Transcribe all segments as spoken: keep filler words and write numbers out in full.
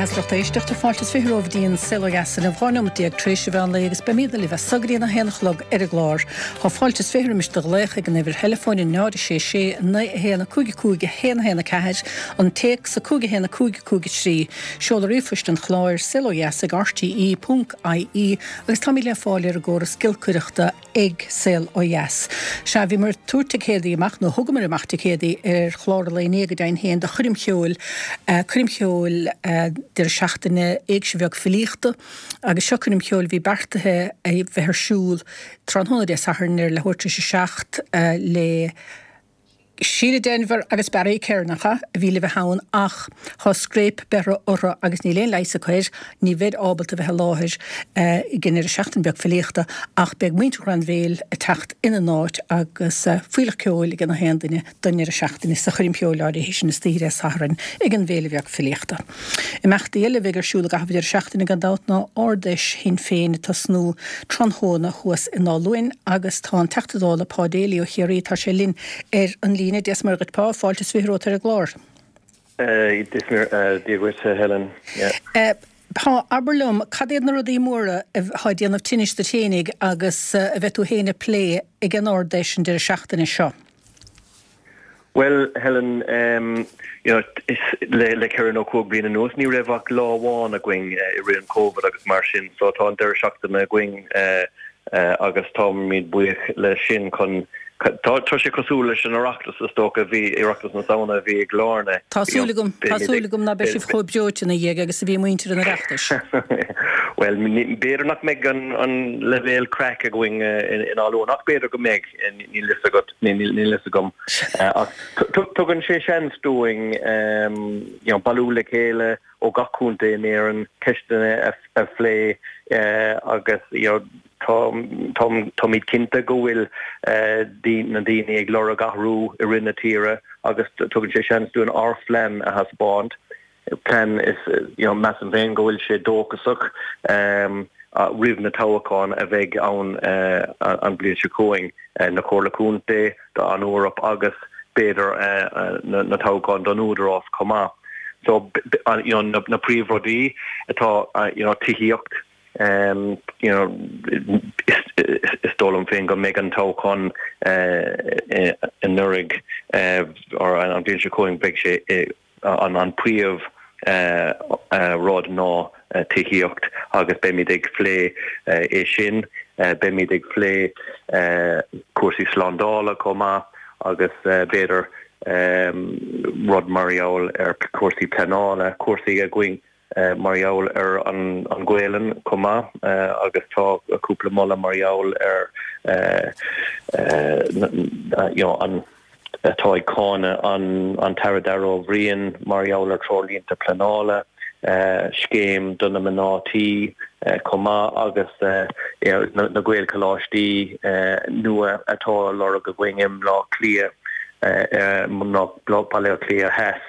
Maith lucht éisteachta fáilte is fiche romhaibh go dtí an Saol Ó Dheas inniu dhá nóiméad déag tar éis an mheán lae agus beimid libh as so go dtí a haon a chlog ar an gclár. Tá fáilte is fiche roimis do ghlaoch ag an uimhir theileafóin náid a sé sé naoi a haon a cúig a cúig a haon a haon a ceathair, an téacs a cúig a haon a cúig a cúig a trí, seoladh ríomhphoist an chláir saol ó dheas ag rte ponc ie agus táimid le fáil ar an gcóras giolcaireachta ag Saol Ó Dheas. Sea, bhíomar ag tabhairt ticéadaí amach, nó thugamar amach ticéadaí ar chlár an lae inné go deimhin féin do choirm cheoil, coirm cheoil deireadh seachtaine Éigse Bheag Filíochta agus seo coirm cheoil a bhí beartaithe a bheith ar siúl tráthnóna Dé Sathairn ar leathuair tar éis a seacht le Síle Denvir agus Barry Kerr, nach ea, a bhí le bheith ann ach tá scréip beirthe orthu agus níl aon leigheas acu air, ní bheid ábalta bheith i láthair ag an ndeireadh seachtaine beag filíochta ach beidh muintir Ghrainbhéil ag teacht ina n-áit agus fuílleach ceoil ag gach aon duine don ndeireadh seachtaine sa choirm cheoil áirithe sin istoíche Dé Sathairn ag an bhFéile Bheag Filíochta. Imeachtaí eile a bheidh ar siúl i gcaitheamh an deireadh seachtaine gan dabht ná Ard-Fheis Shinn Féin ag tosnú tráthnóna thuas i nDál Luain agus tá an Teachta Dála Pa Daly ó Chiarraí, tá sé linn ar an líne. Dia is Muire dhuit Pa, fáilte is fiche romhat ar an gclár. Dia dhuit Helen. Pa, abair liom, cad iad na rudaí móra atá ag déanamh tinnis duit fhéinig agus a bheidh tú féin ag plé ag an Ard-Fheis an deireadh seachtaine seo? Bhuel, Helen, you know, le le ceithre nó cúig bliana anuas, ní raibh ach lá amháin againn i rith an Covid agus mar sin, so tá an deireadh seachtaine againn agus táimid buíoch leis sin chun, tá tá sé cosúil leis an Oireachtas is dócha, bhí Oireachtas na Samhna a bhí i gCill Airne. Tá súil agam, tá súil agam ná beidh sibh chomh breoite ina dhiaidh agus a bhí muintir an Oireachtais. Bhuel, b'fhéidir nach mbeidh an an leibhéal craic againn i nDál Luain ach b'fhéidir go mbeidh. Níl fhios agat, níl fhios agam. Ach tugann sé seans dúinn you know bailiú le chéile ó gach contae in Éirinn, ceisteanna a phlé agus you know táimid cinnte go bhfuil na daoine ag lorg athrú i rith na tíre agus tugann sé seans dúinn ár phlean a thaispeáint. plean is you know measaim féin go bhfuil sé dóchasach roimh na toghcháin a bheidh ann an bhliain seo chugainn, na Comhairle Contae, don Eoraip agus b'fhéidir na toghcháin don Údarás chomh maith. So you know na príomhrudaí atá you know tithíocht, you know is dóigh liom féin go mbeidh an toghchán anuraidh or an bhliain seo chugainn beidh sé An príomh rud ná tithíocht agus beimid ag phlé é sin. Beimid ag phlé cúrsaí slándála chomh maith agus b'fhéidir rud mar gheall ar cúrsaí pleanála, cúrsaí againn mar gheall ar an Ghaelainn chomh maith agus tá cúpla moladh mar gheall ar you know an atá ag cáineadh an tAire Darragh O'Brien mar gheall ar treoirlínte pleanála, scéim do na mná tí chomh maith agus na Gaelcholáistí nua atá á lorg againn i mBleá Cliath, Baile Átha Cliath Theas.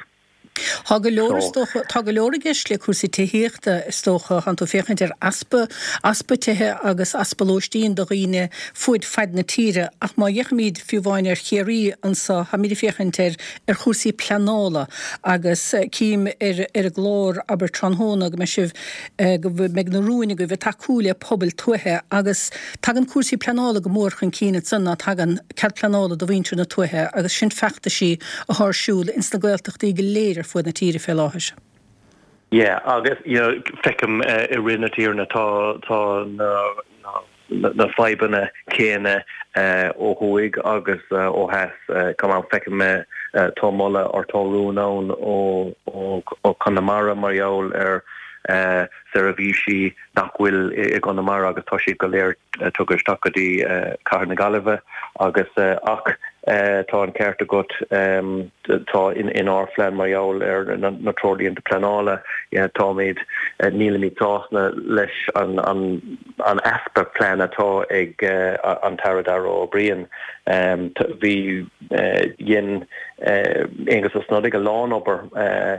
Tá go leor, is dócha, tá go leor i gceist le cúrsaí tithíochta, is dócha. Tánn tú ag féachaint ar easpa, easpa tithe agus easpa lóistín do dhaoine fuaid faid na tíre ach má fhéachaimid fiú amháin ar Chiarraí anso, táimid ag féachaint ar, ar chúrsaí pleanála agus cím ar, ar an gclár, abair, tráthnóna go mbeidh sibh, go mbeidh na rúin agaibh ag tacú le pobail tuaithe agus tagann cúrsaí pleanála go mór chun cinn ansan ná tagann cead pleanála do mhuintir na tuaithe agus sin feachtaisí athá ar siúl ins na Gaeltachtaí go léir ar fuaid na tíre fé láthair. Yeah agus you know feicim i rith na tíre tá tá na na fadhbanna céanna ó thuaidh agus ó theas chomh maith feicim tá moladh or tá rún ann ó ó Chonamara mar gheall ar seirbhísí nach bhfuil i gConamara agus tá siad go léir tugtha isteach go dtí cathair na Gaillimhe agus ach tá an ceart agat tá inár phlean mar gheall ar na treoirlínte pleanála táimid nílimid sásta leis an an easpa plean atá ag an tAire Darragh O'Brien. Bhí dhein Aengus Ó Snodaigh a lán obair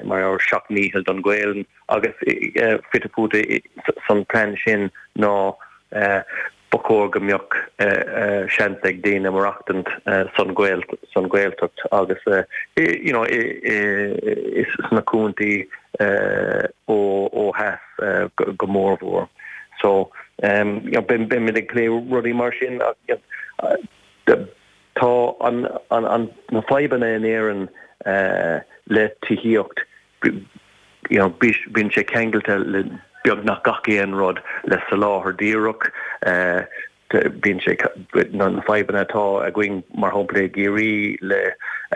mar ar seacht ndícheall don Ghaelainn agus fite fuaite san plean sin ná ba chóir go mbeadh seans ag daoine maireachtaint san san Ghaeltacht agus you know is sna contaetha ó ó theas go mórmhór. So um, you know, beimid ag plé rudaí mar sin tá an, an, an na fadhbanna in Éirinn uh, le tithíocht you know, bíonn sé ceangailte le beagnach gach aon rud le soláthar díreach uh, bíonn sé na fadhbanna atá againn mar shampla i gCiarraí le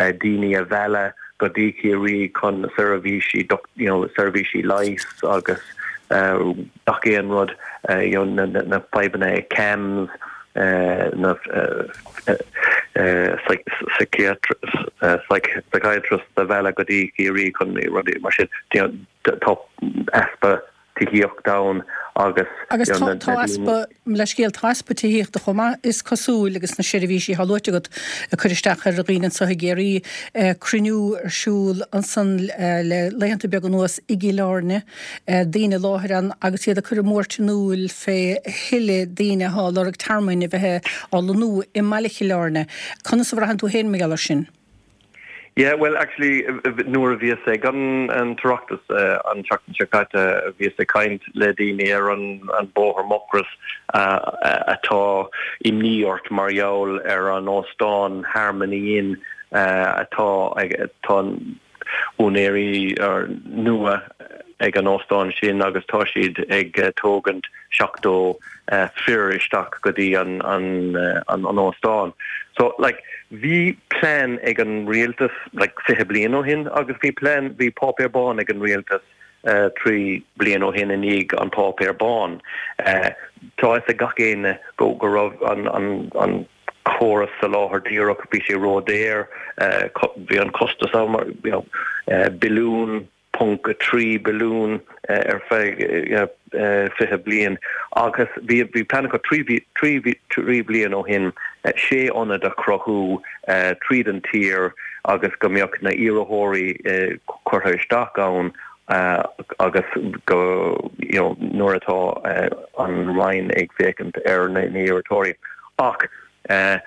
uh, daoine a mhealladh go dtí Ciarraí chun seirbhísí you know, seirbhísí leighis agus uh, gach aon rud uh, you know, na, na, na fadhbanna CAMHS uh, na uh, uh, psychiatrist uh, psychiatrist a mhealladh go dtí Ciarraí chun rudaí mar sin tá easpa tithíocht ann agus agus tá easpa le scéal tá easpa tithíochta chomh maith is cosúil agus na seirbhísí atá luaite agat ag cur isteach ar dhaoine anseo i gCiarraí cruinniú ar siúl ansan le laethanta beaga anuas i gCill Airne daoine i láthair ann agus iad ag cur a mbuairt in iúl fé thuilleadh daoine atá ag lorg tearmainn a bheith á lonnú i mbaile Chill Airne. Conas a bhraitheann tú féin mar gheall air sin? Yeah, well actually nuair a bhíos ag an an tOireachtas uh, an tseachtain seo caite bhíos ag caint le daoine ar an an bóthar Mucros uh, atá imní ort mar gheall ar an óstán Harmony Inn uh, atá ag tá úinéirí nua ag an óstán sin agus tá siad ag uh, tógaint seachtó uh, fir isteach go dtí an an, uh, an an óstán. So like bhí plean ag an rialtas like fiche bliain ó shin agus bhí plean bhí páipéar bán ag an rialtas uh, trí bliain ó shin i ndiaidh an páipéar bán. Uh, tá ag gach éinne go go raibh an an an córas soláthar díreach bhí sé ródhaor uh, bhí an costas ann mar you know, uh, billiún ponc a trí billiún uh, ar feadh uh, uh, fiche bliain agus bhí bhí plean acu trí trí trí bliain ó shin uh, sé ionad a chruthú uh, tríd an tír agus go mbeadh na iarrthóirí uh, curtha isteach ann uh, agus go you know, nuair atá uh, an Roinn ag féachaint ar na iarrthóirí ach uh,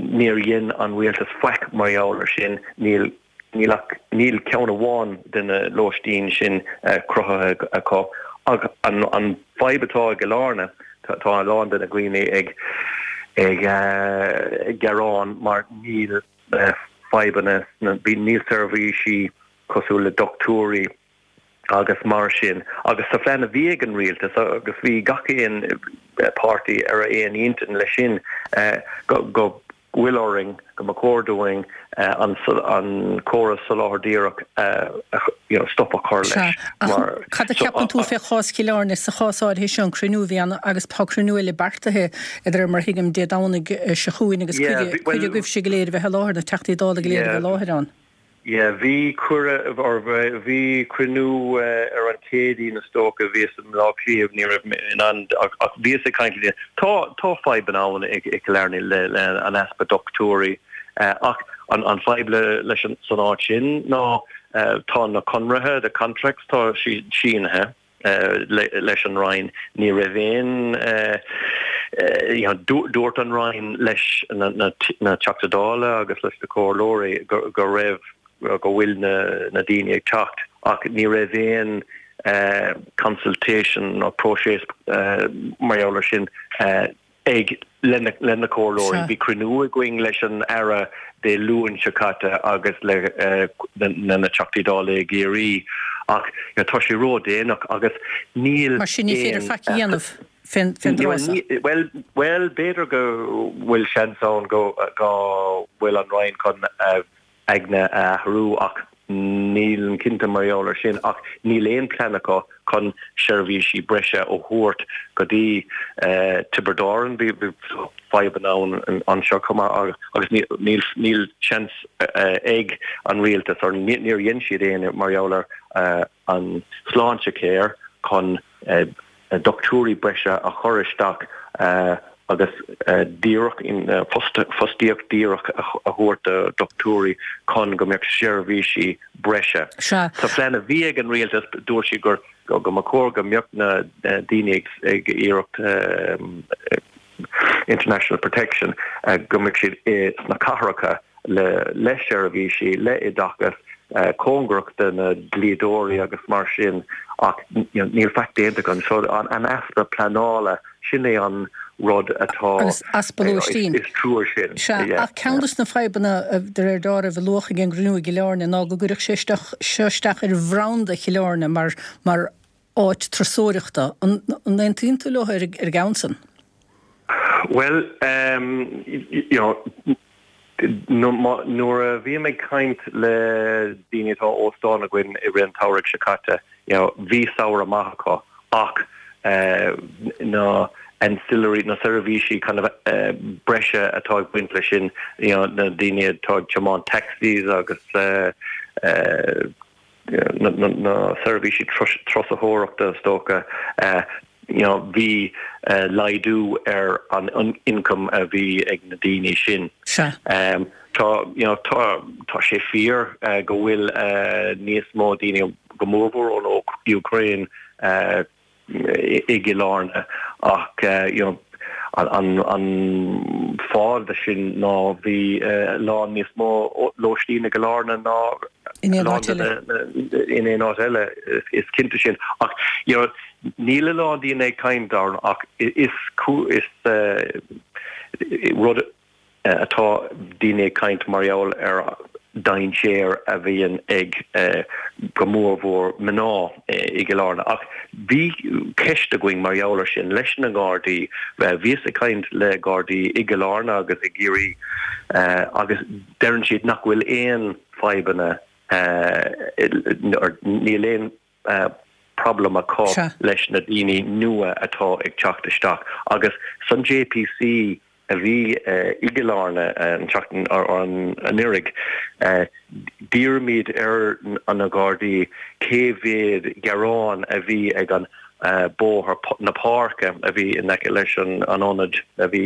níor dhein an rialtas faic mar gheall air sin níl níl níl ceann amháin de na lóistín sin uh, cruthaithe acu ach an an fadhb atá i gCill Airne tá a lán de na daoine ag ag uh, gearán mar níl uh, fadhbanna bhí níl seirbhísí cosúil le dochtúirí agus mar sin agus sa phlean a bhí ag an rialtas agus bhí gach aon páirtí ar aon intinn leis sin uh, go, go bhfuil orainn go mba chóir dúinn uh, an, an córas soláthar díreach uh, you know, stop a chur leis. Cad a cheapann tú fé chás Chill Airne sa chás áirithe seo an cruinniú a bhí ann agus tá cruinniú eile beartaithe idir mar thuigim Dé Domhnaigh seo chugainn agus cuid agaibhse go léir bheith i láthair na Teachtaí Dála go léir bheith i láthair ann. Yeah, bhí cuireadh bhí cruinniú uh, ar an Chéadaoin is dócha bhíos i mBaile Átha Cliath ní raibh in ann ach bhíos ag caint le tá tá fadhb ann ag i gCill Airne le, le an easpa dochtúirí uh, ach an an fadhb le leis an san áit sin ná uh, tá na conarthaí the contracts tá si sínithe uh, le, leis an Roinn ní raibh aon uh, uh, dúirt an Roinn leis na, na, na Teachtaí Dála agus leis na comhairleoirí go, go raibh go bhfuil na, na daoine ag teacht ach ní raibh aon uh, consultation nó próiseas uh, mar gheall air sin uh, ag lena lena comhairleoirí bhí cruinniú againn leis an Aire Dé Luain seo caite agus le uh, na na Teachtaí Dála i gCiarraí ach ja, tá sé ródhéanach agus níl Mar sin ní féidir faic a dhéanamh fén well well b'fhéidir go bhfuil seans ann go go bhfuil an Roinn chun uh, aigne a athrú ach níl cinnte mar gheall air sin ach níl aon plean acu chun seirbhísí breise a thabhairt go dtí uh, Tiobraid Árann bhí fadhbanna ann anseo agus níl níl seans uh, ag an rialtas or níor dhein siad aon mar gheall ar uh, an Sláintecare chun uh, dochtúirí breise a chur isteach uh, agus uh, díreach in uh, fostaíocht díreach a thabhairt do dochtúirí chun go mbeadh seirbhísí breise. Sa phlean a bhí ag an rialtas dúirt siad gur go go mba chóir go mbeadh na daoine ag iarracht international protection go mbeadh siad sna cathracha le le seirbhísí le oideachas cóngarach do na dlíodóirí agus mar sin ach níl faic déanta againn so an an easpa pleanála sin é an rud atá Agus easpa lóistín. Is trua sin. Sea, ach ceann de na fadhbanna de réir dealraimh a luadh ag an gcruinniú i gCill Airne ná go gcuirfeadh sé isteach seo isteach ar bhranda Chill Airne mar mar áit turasóireachta. An aontaíonn tú leo ar ar an gceann san? Well, um, you know, nuair a bhím ag caint le daoine atá óstán againn i rith an tsamhraidh seo caite, you know, bhí samhradh maith acu ach uh, na ancillary na seirbhísí kind of uh, breise atá ag baint leis sin you know, na daoine atá ag tiomáint taxis agus uh, uh, na, na, na seirbhísí turasóireachta is dócha uh, you know, bhí uh, laghdú ar an, an income a bhí ag na daoine sin. Um, tá you know, tá tá sé fíor uh, go bhfuil uh, níos mó daoine go mórmhór ón Ukraine uh, i gCill Airne ach uh, you know, an, an, an fáth de sin ná bhí uh, lán níos mó lóistín i gCill Airne ná in aon áit eile in aon áit eile is cinnte sin ach you know, níl a lán daoine ag caint air ach is is uh, rud uh, atá daoine ag caint mar gheall ar dainséar a bhíonn ag uh, go mórmhór mná i gCill Airne. Ach bhí ceist againn mar gheall air sin leis na Gardaí bhíos ag caint le Gardaí i gCill Airne agus i gCiarraí uh, agus deireann siad nach bhfuil aon fadhbanna uh, níl aon uh, problem acu leis na daoine nua atá ag teacht isteach agus san JPC a bhí uh, i gCill Airne an tseachtain ar an anuraidh uh, d'iarr muid ar an na Gardaí cé mhéad gearán a bhí ag an uh, bóthar na páirce a bhí in aice leis an an ionad a bhí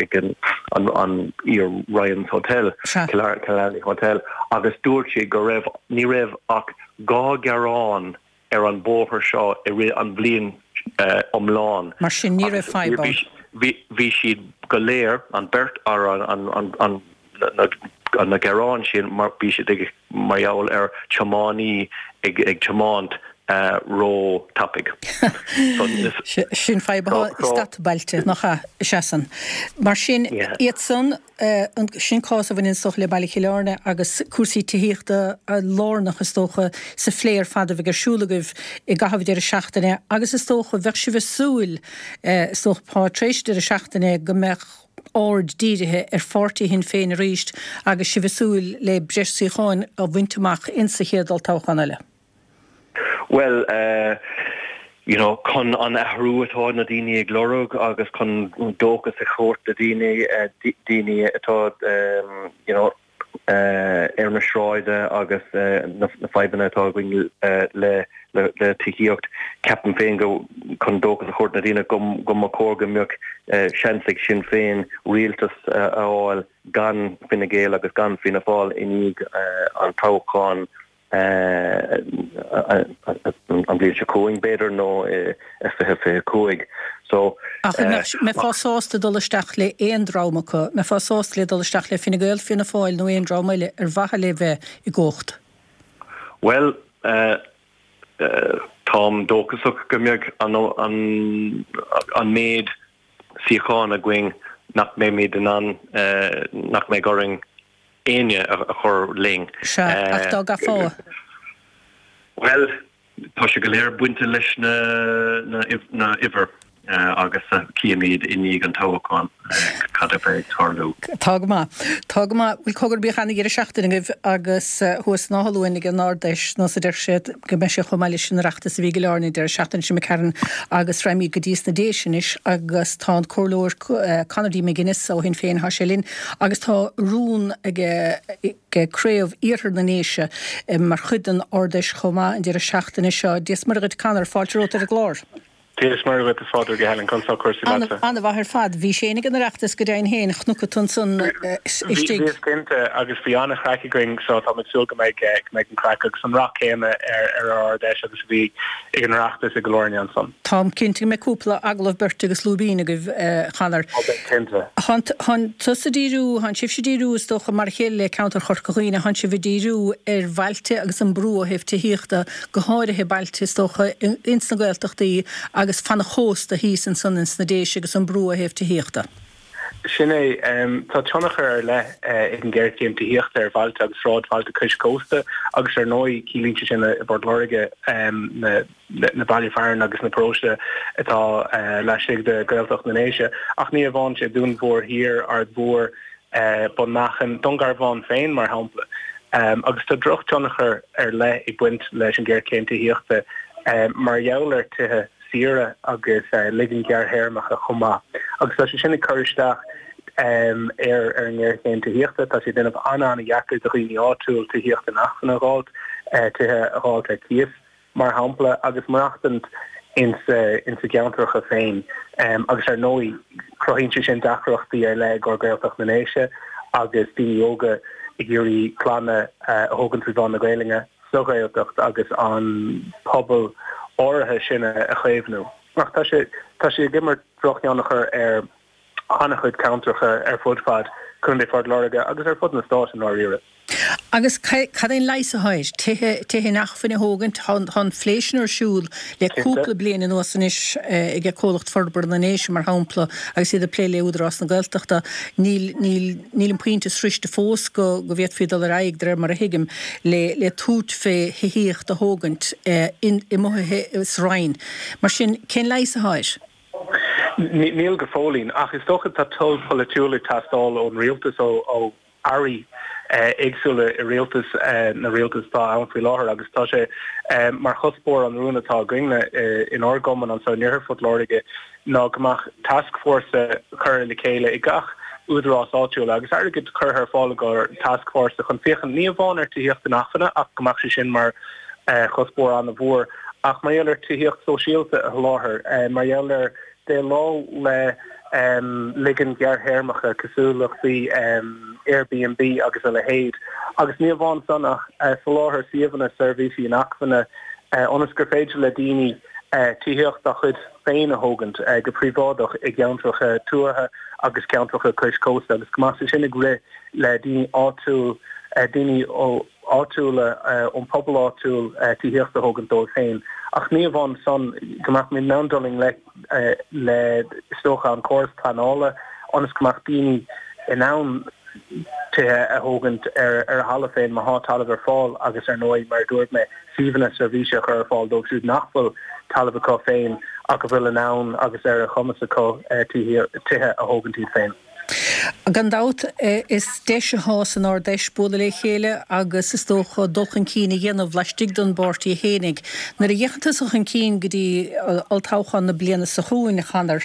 ag an an, an iar Ryan's Hotel Killarney Hotel agus dúirt sé go raibh ní raibh ach dhá gearán ar an bóthar seo i rith an bhliain uh, iomlán. Mar sin ní raibh fadhb ann. Bhí siad go léir an beirt ar an, an, an, an, na, na gearáin sin mar bhí siad ag mar gheall ar tiománaí ag, ag tiomáint uh, ró-thapaidh. Sin fadhb i stadbailte nach seasan. Mar sin iad san sin cás a bhaineann is dócha le baile Chill Airne agus cúrsaí tithíochta lárnach is dócha sa phlé ar fad a bheidh ar siúl agaibh i gcaitheamh deireadh seachtaine agus is dócha bheadh sibh ag súil is dócha tar éis deireadh seachtaine go mbeadh aird dírithe ar pháirtí Shinn Féin arís agus sibh ag súil le breis suíocháin a bhaint amach insa chéad olltoghchán eile. Well, uh, you know, chun an athrú atá na daoine ag lorg agus chun dóchas a thabhairt do daoine uh, daoine atá um, you know, uh, ar na sráide agus uh, na, na fadhbanna atá againn uh, le le, le tithíocht ceapaim féin go chun dóchas a thabhairt na daoine go go mba chóir go mbeadh uh, seans ag Sinn Féin rialtas uh, a fháil gan Fine Gael agus gan Fianna Fáil i ndiaidh uh, an toghchán an bhliain seo chugainn b'fhéidir nó fiche fiche cúig. So Ach mbeifeá sásta dul isteach le aon dream acu, mbeifeá sásta le dul isteach le Fine Gael Fianna Fáil nó aon dream eile ar mhaithe le bheith i gcumhacht. Well uh, uh, táim dóchasach go mbeadh an, an, an méid suíochán againn nach mbeimid in ann uh, nach mbeidh orainn éinne a, a chur linn. Sea, ach dá gcaithfeá. Well, tá sé go léir bainte leis na na na uimhir uh, agus uh, cífimid i ndiaidh an toghchán uh, cad a bheidh ag tarlú. Tá go maith. Tá go maith. Bhuel cogar bíodh an-deireadh seachtaine agaibh agus thuas in Áth Luain ag an Ard-Fheis nó sa deir siad go mbeidh sé chomh maith leis an Oireachtas a bhí i gCill Airne deireadh seachtaine seo McCarron agus raghaimid go dtí sna Déise anois agus tá an comhairleoir Conor D. McGuinness ó Shinn Féin thá sé linn agus tá rún ag craobh Iarthar na nDéise mar chuid den Ard-Fheis chomh maith an deireadh seachtaine seo. Dia is Muire dhuit Conor, fáilte romhat ar an gclár. Dia is Muire dhuit, a Phádraig, a Helen, conas tá cúrsaí leatsa? An-mhaith ar fad. Bhís féin ag an Oireachtas go deimhin féin, chonac tú ansan istigh. Bhíos cinnte agus bhí an-chraic againn so táim ag súil go mbeidh go mbeidh an craic agus an rath céanna ar ar ár Ard-Fheis agus a bhí ag an Oireachtas i gCill Airne ansan. Táim cinnte go mbeidh cúpla agallamh beirte agus lúibín agaibh, a Chonor. Ó beidh cinnte. Thánn tusa ag díriú, thánn sibhse ag díriú is dócha mar a chéile le ceantar Chorca Dhuibhne, thánn sibh ag díriú ar bhailte agus an brú ó thaobh tithíochta, go háirithe bailte is dócha ins na Gaeltachtaí agus fan an chósta thíos ansan ins na Déise agus an brú ó thaobh tithíochta. Sin é. Tá tionchar ar leith ag an ghéarchéim tithíochta ar bhailte agus sráidbhailte cois cósta agus ar ndóigh ciallaíonn sé sin i bPort Láirge na na baile fearainn agus na paróiste atá laistigh de Ghaeltacht na nDéise ach ní amháin sin, Dún Mór Thiar, Aird Mhór, Bun Machan, Dún Garbhán féin mar shampla. Agus tá drochthionchar ar leith ag baint leis an ghéarchéim tithíochta mar gheall ar tithe saora agus ligin ghearrthéarmacha chomh maith. Agus tá sé sin ag cur isteach ar ar an ngéarchéim tithíochta. Tá sé ag déanamh an-an-dheacair do dhaoine áitiúil tithíocht inacmhainne a dh'fháilt, tithe a dh'fháilt ar cíos. mar shampla, agus maireachtaint ins a gceantracha féin. Agus ar ndóigh, cruthaíonn sé sin deacrachtaí ar leith i gcomhair Gaeltacht na nDéise agus daoine óga ag iarraidh clanna a thógaint trí mheán na Gaelainne sa Ghaeltacht agus an pobal áirithe sin a chaomhnú. Ach tá sé tá sé ag imirt drochthionchar ar an-chuid ceantracha ar fud fad Chontae Phort Láirge agus ar fud na Stáit i ndáiríre. Agus cad é an leigheas atá air? Tithe, tithe inacmhainne a thógaint? Tá an phlé sin ar siúl le cúpla bliain anuas anois ag Comhlacht Forbartha na nDéise, mar shampla, agus iad ag plé le Údarás na Gaeltachta. Níl, níl, níl an pointe sroichte fós go, go bhféadfaí dul ar aghaidh, de réir mar a thuigim, le, le tabhairt fé thithíocht a thógaint in, i mBoth sa Rinn. Mar sin, cén leigheas atá air? Níl go fóillín, ach is dócha tá toil pholaitiúil ag teastáil ón rialtas, ó, ó airí éagsúla i rialtas na rialtas atá ann faoi láthair agus tá sé mar chuspóir an rún atá againne inár gcumann anseo in Iarthar Phort Láirge ná go mbeadh tascfhórsa curtha le chéile i gach údarás áitiúil agus airgead curtha ar fáil i gcomhair tascfhórsa chun féachaint ní amháin ar tithíocht inacmhainne ach go mbeadh sé sin mar chuspóir an-mhór ach mar gheall ar tithíocht sóisialta a sholáthar, mar gheall ar déileáil le ligin ghearrthéarmacha, cosúlachtaí Airbnb agus a leithéid, agus ní amháin san ach soláthar suíomhanna seirbhísí inacmhainne ionas gur féidir le daoine tithíocht dá chuid féin a thógaint go príobháideach i gceantracha tuaithe agus ceantracha cois cósta agus go mbeadh sé sin ag rith le daoine áitiúil, daoine ó. áitiúla, ón pobal áitiúil tithíocht a thógaint dóibh féin. Ach ní amháin san, go mbeadh muid in ann dul i ngleic le, is dócha, an córas pleanála ionas go mbeadh daoine in ann tithe a thógaint ar a thalamh féin má thá talamh ar fáil agus ar ndóigh, mar a dúirt mé, suíomhanna seirbhíse a chur ar fáil dóibh siúd nach bhfuil talamh acu féin ach a bhfuil in ann agus ar a chumas acu tithe a thógaint iad féin. Gan dabht, is deis atá san Ard-Fheis bualadh le chéile agus is dócha dul chun cinn a dhéanamh laistigh den bpáirtí fhéinig. Nuair a fhéachann tusa chun cinn go dtí olltoghchán na bliana seo chugainn, a Chonor,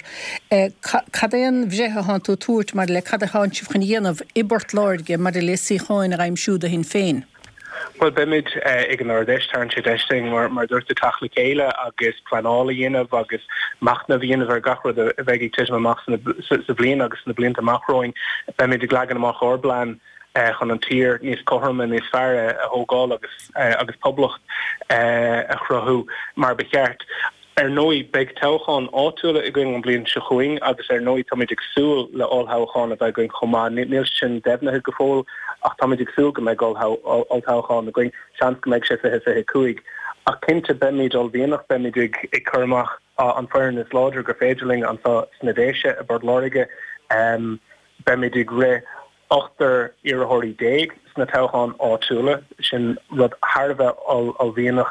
cad é an bhreith atánn tú a tabhairt maidir le cad atánn sibh chun a dhéanamh i bPort Láirge maidir le suíocháin a aimsiú do Shinn Féin? Bhuel, beimid ag an Ard-Fheis, tarraingt sé deis dúinn, mar a dúirt tú, teacht le chéile agus pleanáil a dhéanamh agus machnamh a dhéanamh ar gach rud a bheidh ag titim amach sa bhliain agus sna blianta amach romhainn. Beimid ag leagan amach ár bplean chun an tír níos cothroime, níos fearr a thógáil agus agus poblacht a chruthú mar ba cheart. Ar ndóigh, beidh toghcháin áitiúla againn an bhliain seo chugainn agus ar ndóigh táimid ag súil le ollthoghchán a bheith againn chomh maith. Níl sé sin deimhnithe go fóill ach táimid ag súil go mbeidh olltoghchán againn, seans go mbeidh sé fiche fiche cúig. Ach cinnte beimid uaillmhianach, beimid ag cur amach an foireann is láidre gur féidir linn anseo sna Déise i bPort Láirge. Beimid ag rith ochtar iarrthóirí déag sna toghcháin áitiúla. Sin rud thar a bheith uaillmhianach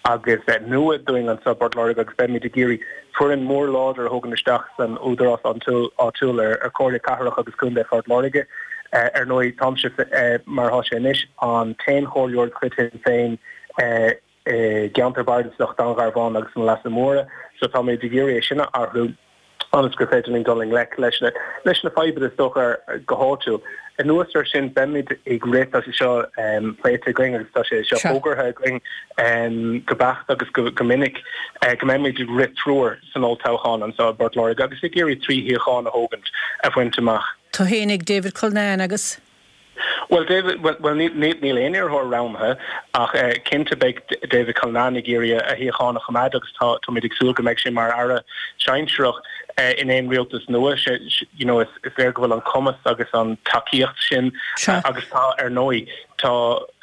agus nua dúinn anseo i bPort Láirge agus beimid ag iarraidh foireann mór láidir a thógaint isteach san údarás áitiúil ar Chomhairle Cathrach agus Contae Phort Láirge. Ar ndóigh, táimse, mar atá sé anois, an t-aon chomhairleoir de chuid Shinn Féin i gceantar bardasach Dún Garbhán agus na Leasa Móire so táimid ag iarraidh é sin a athrú. ionas gur féidir linn dul i ngleic leis na leis na fadhbanna is dócha go háitiúil. Anuas air sin beimid ag rith tá sé seo um, pléite againn agus tá sé seo fógartha againn um, go beacht agus go, go minic uh, go mbeimid ag rith triúr san olltoghchán anseo i bPort Láirge agus ag iarraidh trí shuíochán a thógaint a bhaint amach. Tú fhéinig David Cullinane agus Well David well, well níl aon iarrthóir roghnaithe ach uh, cinnte beidh David Cullinane ag iarraidh a shuíochán a choimeád agus tá táimid ag súil go mbeidh sé mar aire sinsearach uh, in aon rialtas nua sé you know, is, is léir go bhfuil an cumas agus an tacaíocht sin uh, agus tá ar ndóigh tá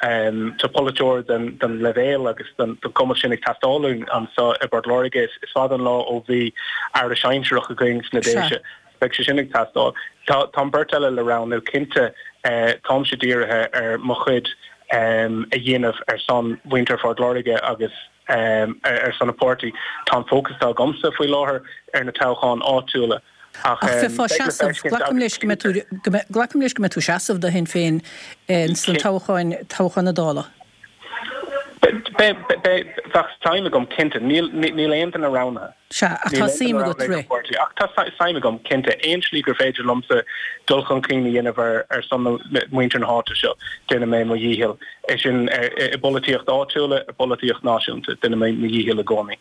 um, tá polaiteoir den, den leibhéal agus den, den cumas sin ag teastáil anseo i bPort Láirge is, is fada an lá ó bhí aire sinsearach againn sna Déise. Beidh sé sin ag teastáil. Tá tá beirt eile le roghnú cinnte uh, táimse dírithe ar mo chuid um, a dhéanamh ar son mhuintir Phort Láirge agus um, ar, ar son an pháirtí. Tá fócas agamsa faoi láthair ar na toghcháin áitiúla. Ach bheifeá ag seasamh glacaim leis go glacaim leis go mbeidh tú ag seasamh do Shinn Féin sna toghcháin toghcháin na Dála. Bheadh suim agam cinnte níl aon duine roghnaithe. Sea ach tá suim agat rith. Ach tá suim agam cinnte aon slí gur féidir liomsa dul chun cinn a dhéanamh ar ar son mhuintir na háite seo déanfaidh mé mo dhícheall é sin i bpolaitíocht áitiúla i bpolaitíocht náisiúnta déanfaidh mé mo dhícheall i gcónaí.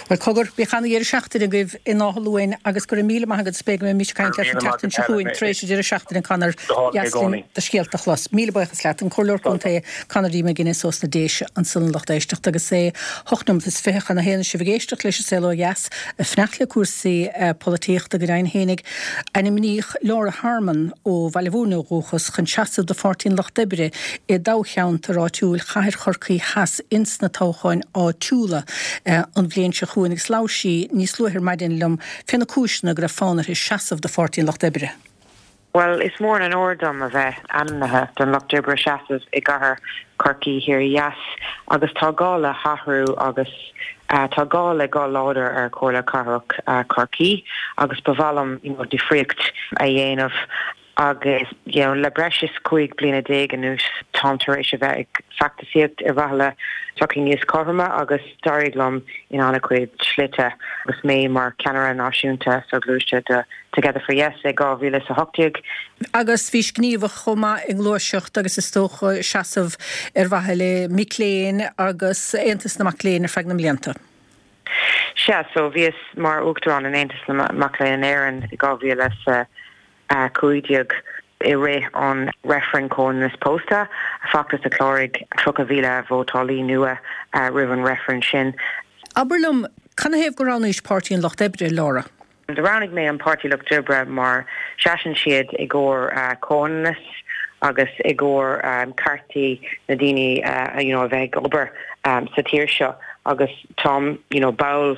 Well cogar bíodh an-deireadh seachtaine agaibh in Áth Luain agus go raibh míle maith agat is beidh go mbeidh mise ag caint leat an tseachtain seo chugainn tar éis an deireadh seachtaine Conor deas linn do scéalta a chlos. Míle buíochas leat an Comhairleoir Contae Conor D. McGuinness ós na Déise ansan a lucht éisteachta agus é hocht nóiméad is fiche chun a haon sibh ag éisteacht leis an Saol Ó Dheas ag fanacht le cúrsaí polaitíochta go deimhin fhéinig. Ainmníodh Laura Harmon ó Bhaile Bhúirne ó dhúchas chun seasamh do Pháirtí an Lucht Oibre i dtoghcheantar áitiúil Chathair Chorcaí Theas ins na toghcháin áitiúla an bhliain seo chugainn agus labhair sí níos luaithe ar maidin liom fé na cúiseanna go raibh fonn uirthi seasamh do Pháirtí an Lucht Oibre. Bhuel, is mór an onóir dom a bheith ainmnithe don Lucht Oibre seasamh i gCathair Chorcaí Thiar Theas agus tá gá le hathrú agus tá gá le guth láidir ar Chomhairle Cathrach Chorcaí agus ba mhaith liom you know, difríocht a dhéanamh agus you know, le breis is cúig bliana déag anuas táim tar éis a bheith ag feachtasaíocht ar mhaithe le sochaí níos cothroime agus d'éirigh liom in an-chuid slite agus mé mar ceannaire náisiúnta soghluaiste de Together for Yes i dhá mhíle is a hocht déag. Agus bhís gníomhach chomh maith i ngluaiseacht agus is dócha seasamh ar mhaithe le mic léinn agus Aontas na Mac Léinn ar feadh na mblianta. Sea, so bhíos mar uachtarán in Aontas na Mac Léinn in Éirinn i dhá mhíle is a cúig déag i rith an reifreann comhionannas pósta, feachtas a chláraigh tríocha mhíle vótálaí nua roimh an reifreann sin. Abair liom, canathaobh gur roghnaís Páirtí an Lucht Oibre, Laura? Do roghnaigh mé an Páirtí Lucht Oibre mar seasann siad i gcomhair comhionannas agus i gcomhair ceartaí na daoine you know a bheith ag obair sa tír seo agus táim you know ball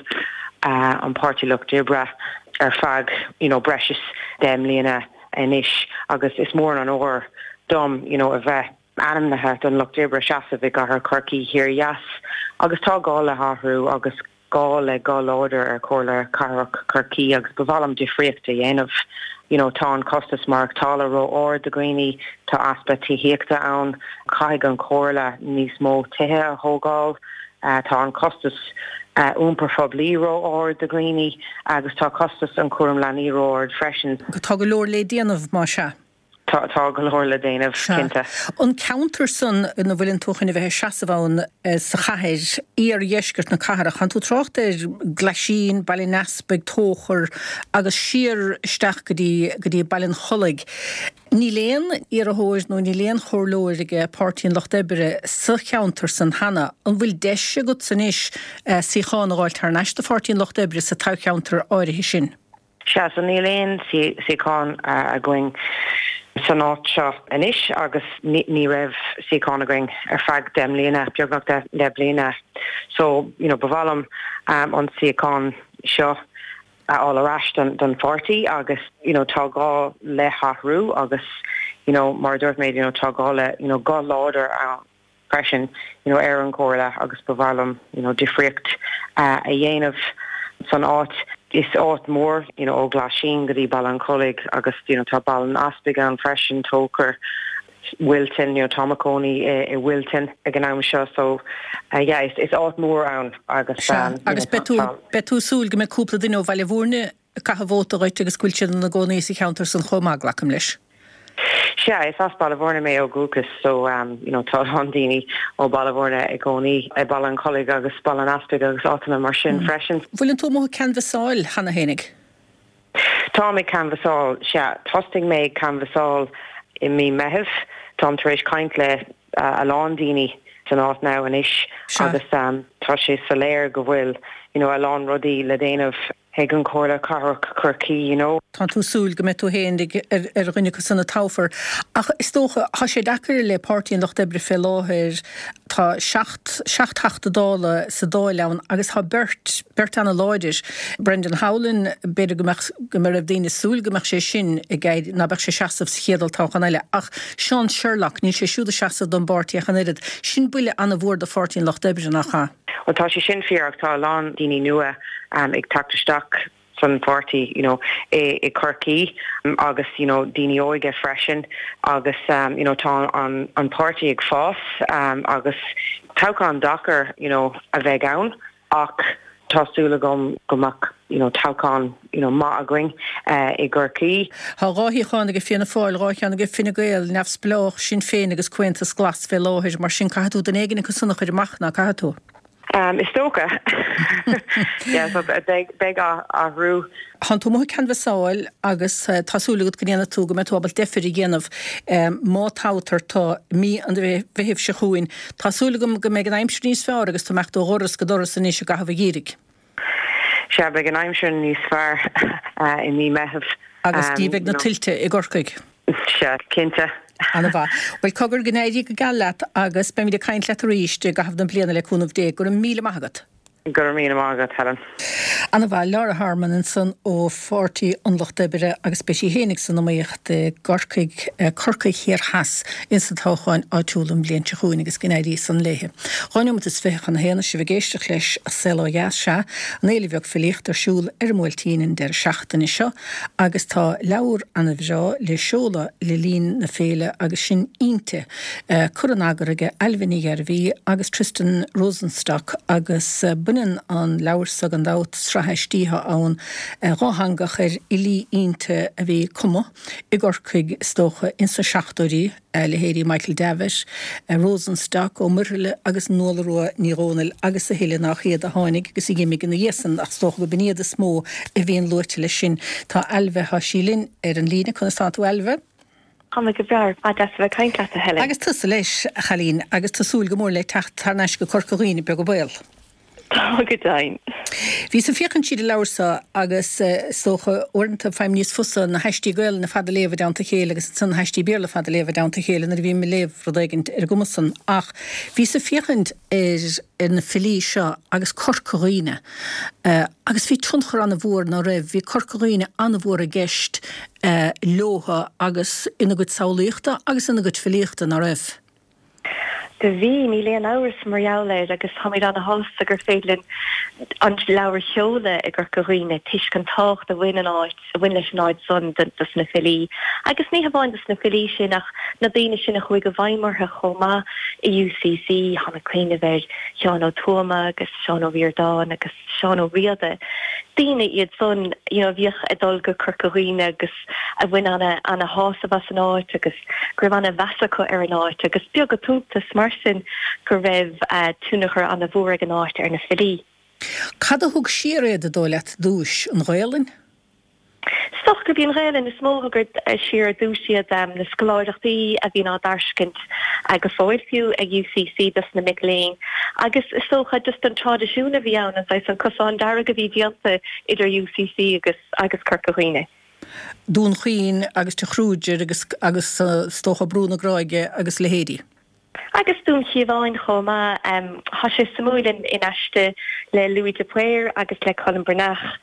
an Páirtí Lucht Oibre ar feadh you know breis is deich mbliana anois agus is mór an onóir dom you know a bheith ainmnithe don Lucht Oibre seasamh i gCathair Chorcaí Thiar Theas agus tá gá le hathrú agus gá le guth láidir ar Chomhairle Cathrach Chorcaí agus ba mhaith liom difríocht a dhéanamh. You know, tá an costas maireachtála ró-ard do dhaoine, tá easpa tithíochta ann, caithfidh an Chomhairle níos mó tithe a thógáil, tá an costas iompair phoiblí ró-ard do dhaoine agus tá costas an chúram leanaí ró-ard freisin. Tá go leor le déanamh, más ea. Tá, tá go leor le déanamh, cinnte. An ceantar san ina bhfuileann tú chun a bheith ag seasamh ann sa chathair, iardheisceart na cathrach, tánn tú ag trácht ar Glaisín, Baile an Easpaig, Tóchar agus siar isteach go dtí, go dtí Baile an Chollaigh. Níl aon iarrthóir nó níl aon chomhairleoir ag Páirtí an Lucht Oibre sa cheantar san cheana. An bhfuil deis agatsa anois suíochán a dh'fháilt thar n-ais do Pháirtí an Lucht Oibre sa toghcheantar áirithe sin? Sea, so níl aon suíochán againn san áit seo anois agus ní raibh suíochán againn ar feadh deich mbliana, beagnach deich mbliana. So, you know, ba mhaith liom an suíochán seo a fháil ar ais don pháirtí agus you know tá gá le hathrú agus you know mar a dúirt mé you know tá gá le you know guth láidir ann freisin you know ar an gcomhairle agus ba mhaith liom you know difríocht a dhéanamh san áit. Is áit mór you know ó Ghlaisín go dtí Baile an Chollaigh agus you know tá Baile an Easpaig ann freisin, Tóchar. Wilton, you know, tá mé i mo chónaí i Wilton ag an am seo so yeah is is áit mór ann agus Sea, agus beidh tú beidh tú ag súil go mbeidh cúpla duine ó Bhaile Bhúirne ag caitheamh vóta dhuit agus go bhfuil siad ina gcónaí sa cheantar san chomh maith, glacaim leis. Sea, is as Baile Bhúirne mé ó dhúchas so um, you know, tá an daoine ó Baile Bhúirne i gcónaí i Baile an Chollaigh agus Baile an Easpaig agus áiteanna mar sin mm. freisin. Bhfuil tú amuigh ag canbhasáil cheana fhéinig? Táim ag canbhasáil, sea, thosaigh mé ag canbhasáil i mí Meitheamh, táim tar éis caint le uh, a lán daoine san áit now anois agus um, tá sé soiléir go bhfuil you know, a lán rudaí le déanamh ag an Comhairle Cathrach Chorcaí, you know. Tá tú súil go mbeidh tú féin ar ar dhuine acu san a toghfar. Ach is dócha, tá sé deacair le Páirtí an Lucht Oibre fé láthair, tá seacht seacht Theachta Dála sa Dáil ann agus tá beirt, beirt ana láidir. Brendan Howlin, b'fhéidir go mbeadh, go raibh daoine súil go mbeadh sé sin ag éirí, ná beadh sé seasamh sa chéad olltoghchán eile. Ach Seán Sherlock, níl sé siúd ag seasamh don bpáirtí ach an oiread. Sin buille ana mhór do Pháirtí an Lucht Oibre, nach ea? Well tá sé sin fíor ach tá a lán daoine nua um, ag teacht isteach san pháirtí you know, i, i Corcaigh agus you know, daoine óige freisin agus um, you know, tá an, an páirtí ag fás um, agus toghchán deacair you know, a bheidh ann ach tá súil agam go mbeadh you know, toghchán you know, maith againn uh, i gCorcaigh. Tá dhá shuíochán ag Fianna Fáil, dhá cheann ag Fine Gael, Neamhspleách, Sinn Féin agus Comhaontas Glas fé láthair, mar sin caithfidh tú duine éigin acu san a chur amach, ná caithfidh tú? Um, is dócha. yeah, so beidh beidh athrú. Tánn tú amuigh ag canbhasáil agus tá súil agat go ndéanfaidh tú go mbeidh tú ábalta deifir a dhéanamh má toghtar tú mí an Mheithimh seo chugainn. Tá súil agam go mbeidh an aimsir níos fearr agus tú mbeadh tú ó dhoras go doras anois i gcaitheamh an gheimhridh. Sea, beidh an aimsir níos fearr i mí Meitheamh. Agus ní bheidh na tuilte i gCorcaigh. Sea, cinnte. Ana-mhaith. Bhuel, cogar, go n-éirí go geal leat agus beimid ag caint leat arís i gcaitheamh na bliana le cúnamh Dé. Go raibh míle maith agat. Go raibh míle maith agat, Helen. Ana-mhaith. Laura Harmon ansan ó Pháirtí an Lucht Oibre agus beidh sí fhéinig san iomaíocht i gCorcaigh, Corcaigh Thiar Theas insa toghchán áitiúil an bhliain seo chugainn agus go n-éirí san léithe. Dhá neomat is fiche chun a haon is sibh ag éisteacht leis An Saol Ó Dheas. Sea, an Fhéile Bheag Filíochta ar siúl ar an mBuailtín an deireadh seachtaine seo agus tá leabhar ana-bhreá le seoladh le linn na féile agus sin Innti, curtha in eagar aige Ailbhe Ní Ghairbhí agus Tristan Rosenstock agus baineann an leabhar so gan dabht, sraith aistí atá ann, dhátheangach ar fhilí Innti a bhí ag cumadh i gCorcaigh is dócha ins na seachtóidí. leithéidí Michael Davitt, Rosenstock, Ó Muirthile agus Nuala Rua Ní Dhomhnaill agus a thuilleadh nach iad a tháinig agus a dh'imigh ina dhiaidh san ach is dócha go b'in iad is mó a bhíonn luaite leis sin. Tá Ailbhe, tá sí linn ar an líne. Conas tánn tú Ailbhe? Tá mé go breá, ah deas a bheith ag caint leat a Helen. Agus tusa leis, a chailín, agus tú súil go mór le teacht thar n-ais go Corca Dhuibhne, beag an baol. Tá go deimhin. Bhíos ag féachaint tríd an leabhar seo agus is dócha uaireanta faighim níos fusa na haistí Gaelainne ar fad a léamh i dteannta a chéile agus ansan na haistí Béarla ar fad a léamh i dteannta a chéile nuair a bhím ag léamh rud éigint ar an gcuma san. Ach bhíos ag féachaint ar ar na filí seo agus Corca Dhuibhne agus bhí tionchar an-mhór ná raibh, bhí Corca Dhuibhne an-mhór i gceist leotha agus ina gcuid samhlaíochta agus ina gcuid filíochta, ná raibh? Do bhí, níl aon amhras mar gheall air agus táimid ana-shásta gur féidir linn an leabhar a sheoladh i gCorca Dhuibhne toisc an tábhacht a bhain an áit, a bhain leis an áit san dos na filí. Agus ní hamháin dos na filí sin ach na daoine sin a chuaigh i bhfeidhm orthu chomh maith i UCC, táim ag cuimhneamh ar Sheán Ó Tuama agus Seán Ó Ríordáin agus Seán Ó Riada, daoine iad san you know a bhíodh ag dul go Corca Dhuibhne agus a bhain ana ana shásamh as an áit agus go raibh ana mheas acu ar an áit agus beag an t-iontas mar sin go raibh tionchar ana mhór ag an áit ar na filí. Cad a thug siar iad, an dóigh leat, ar dtúis? An Ghaelainn? Is dócha gurb í an Ghaelainn is mó a thug siar ar dtús iad, na scoláireachtaí a bhíonn á dtairscint go fóill fiú ag UCC dos na mic léinn agus is dócha just an traidisiún a bhí ann, an saghas an cosán dearg a bhí déanta idir UCC agus agus Corca Dhuibhne. Dún Chaoin agus Tigh Kruger agus agus is dócha Brú na Gráige agus leithéidí. Agus Dún Chíomháin chomh maith. Tá sé suimiúil in aiste le Louis de Paor agus le Colm Breathnach,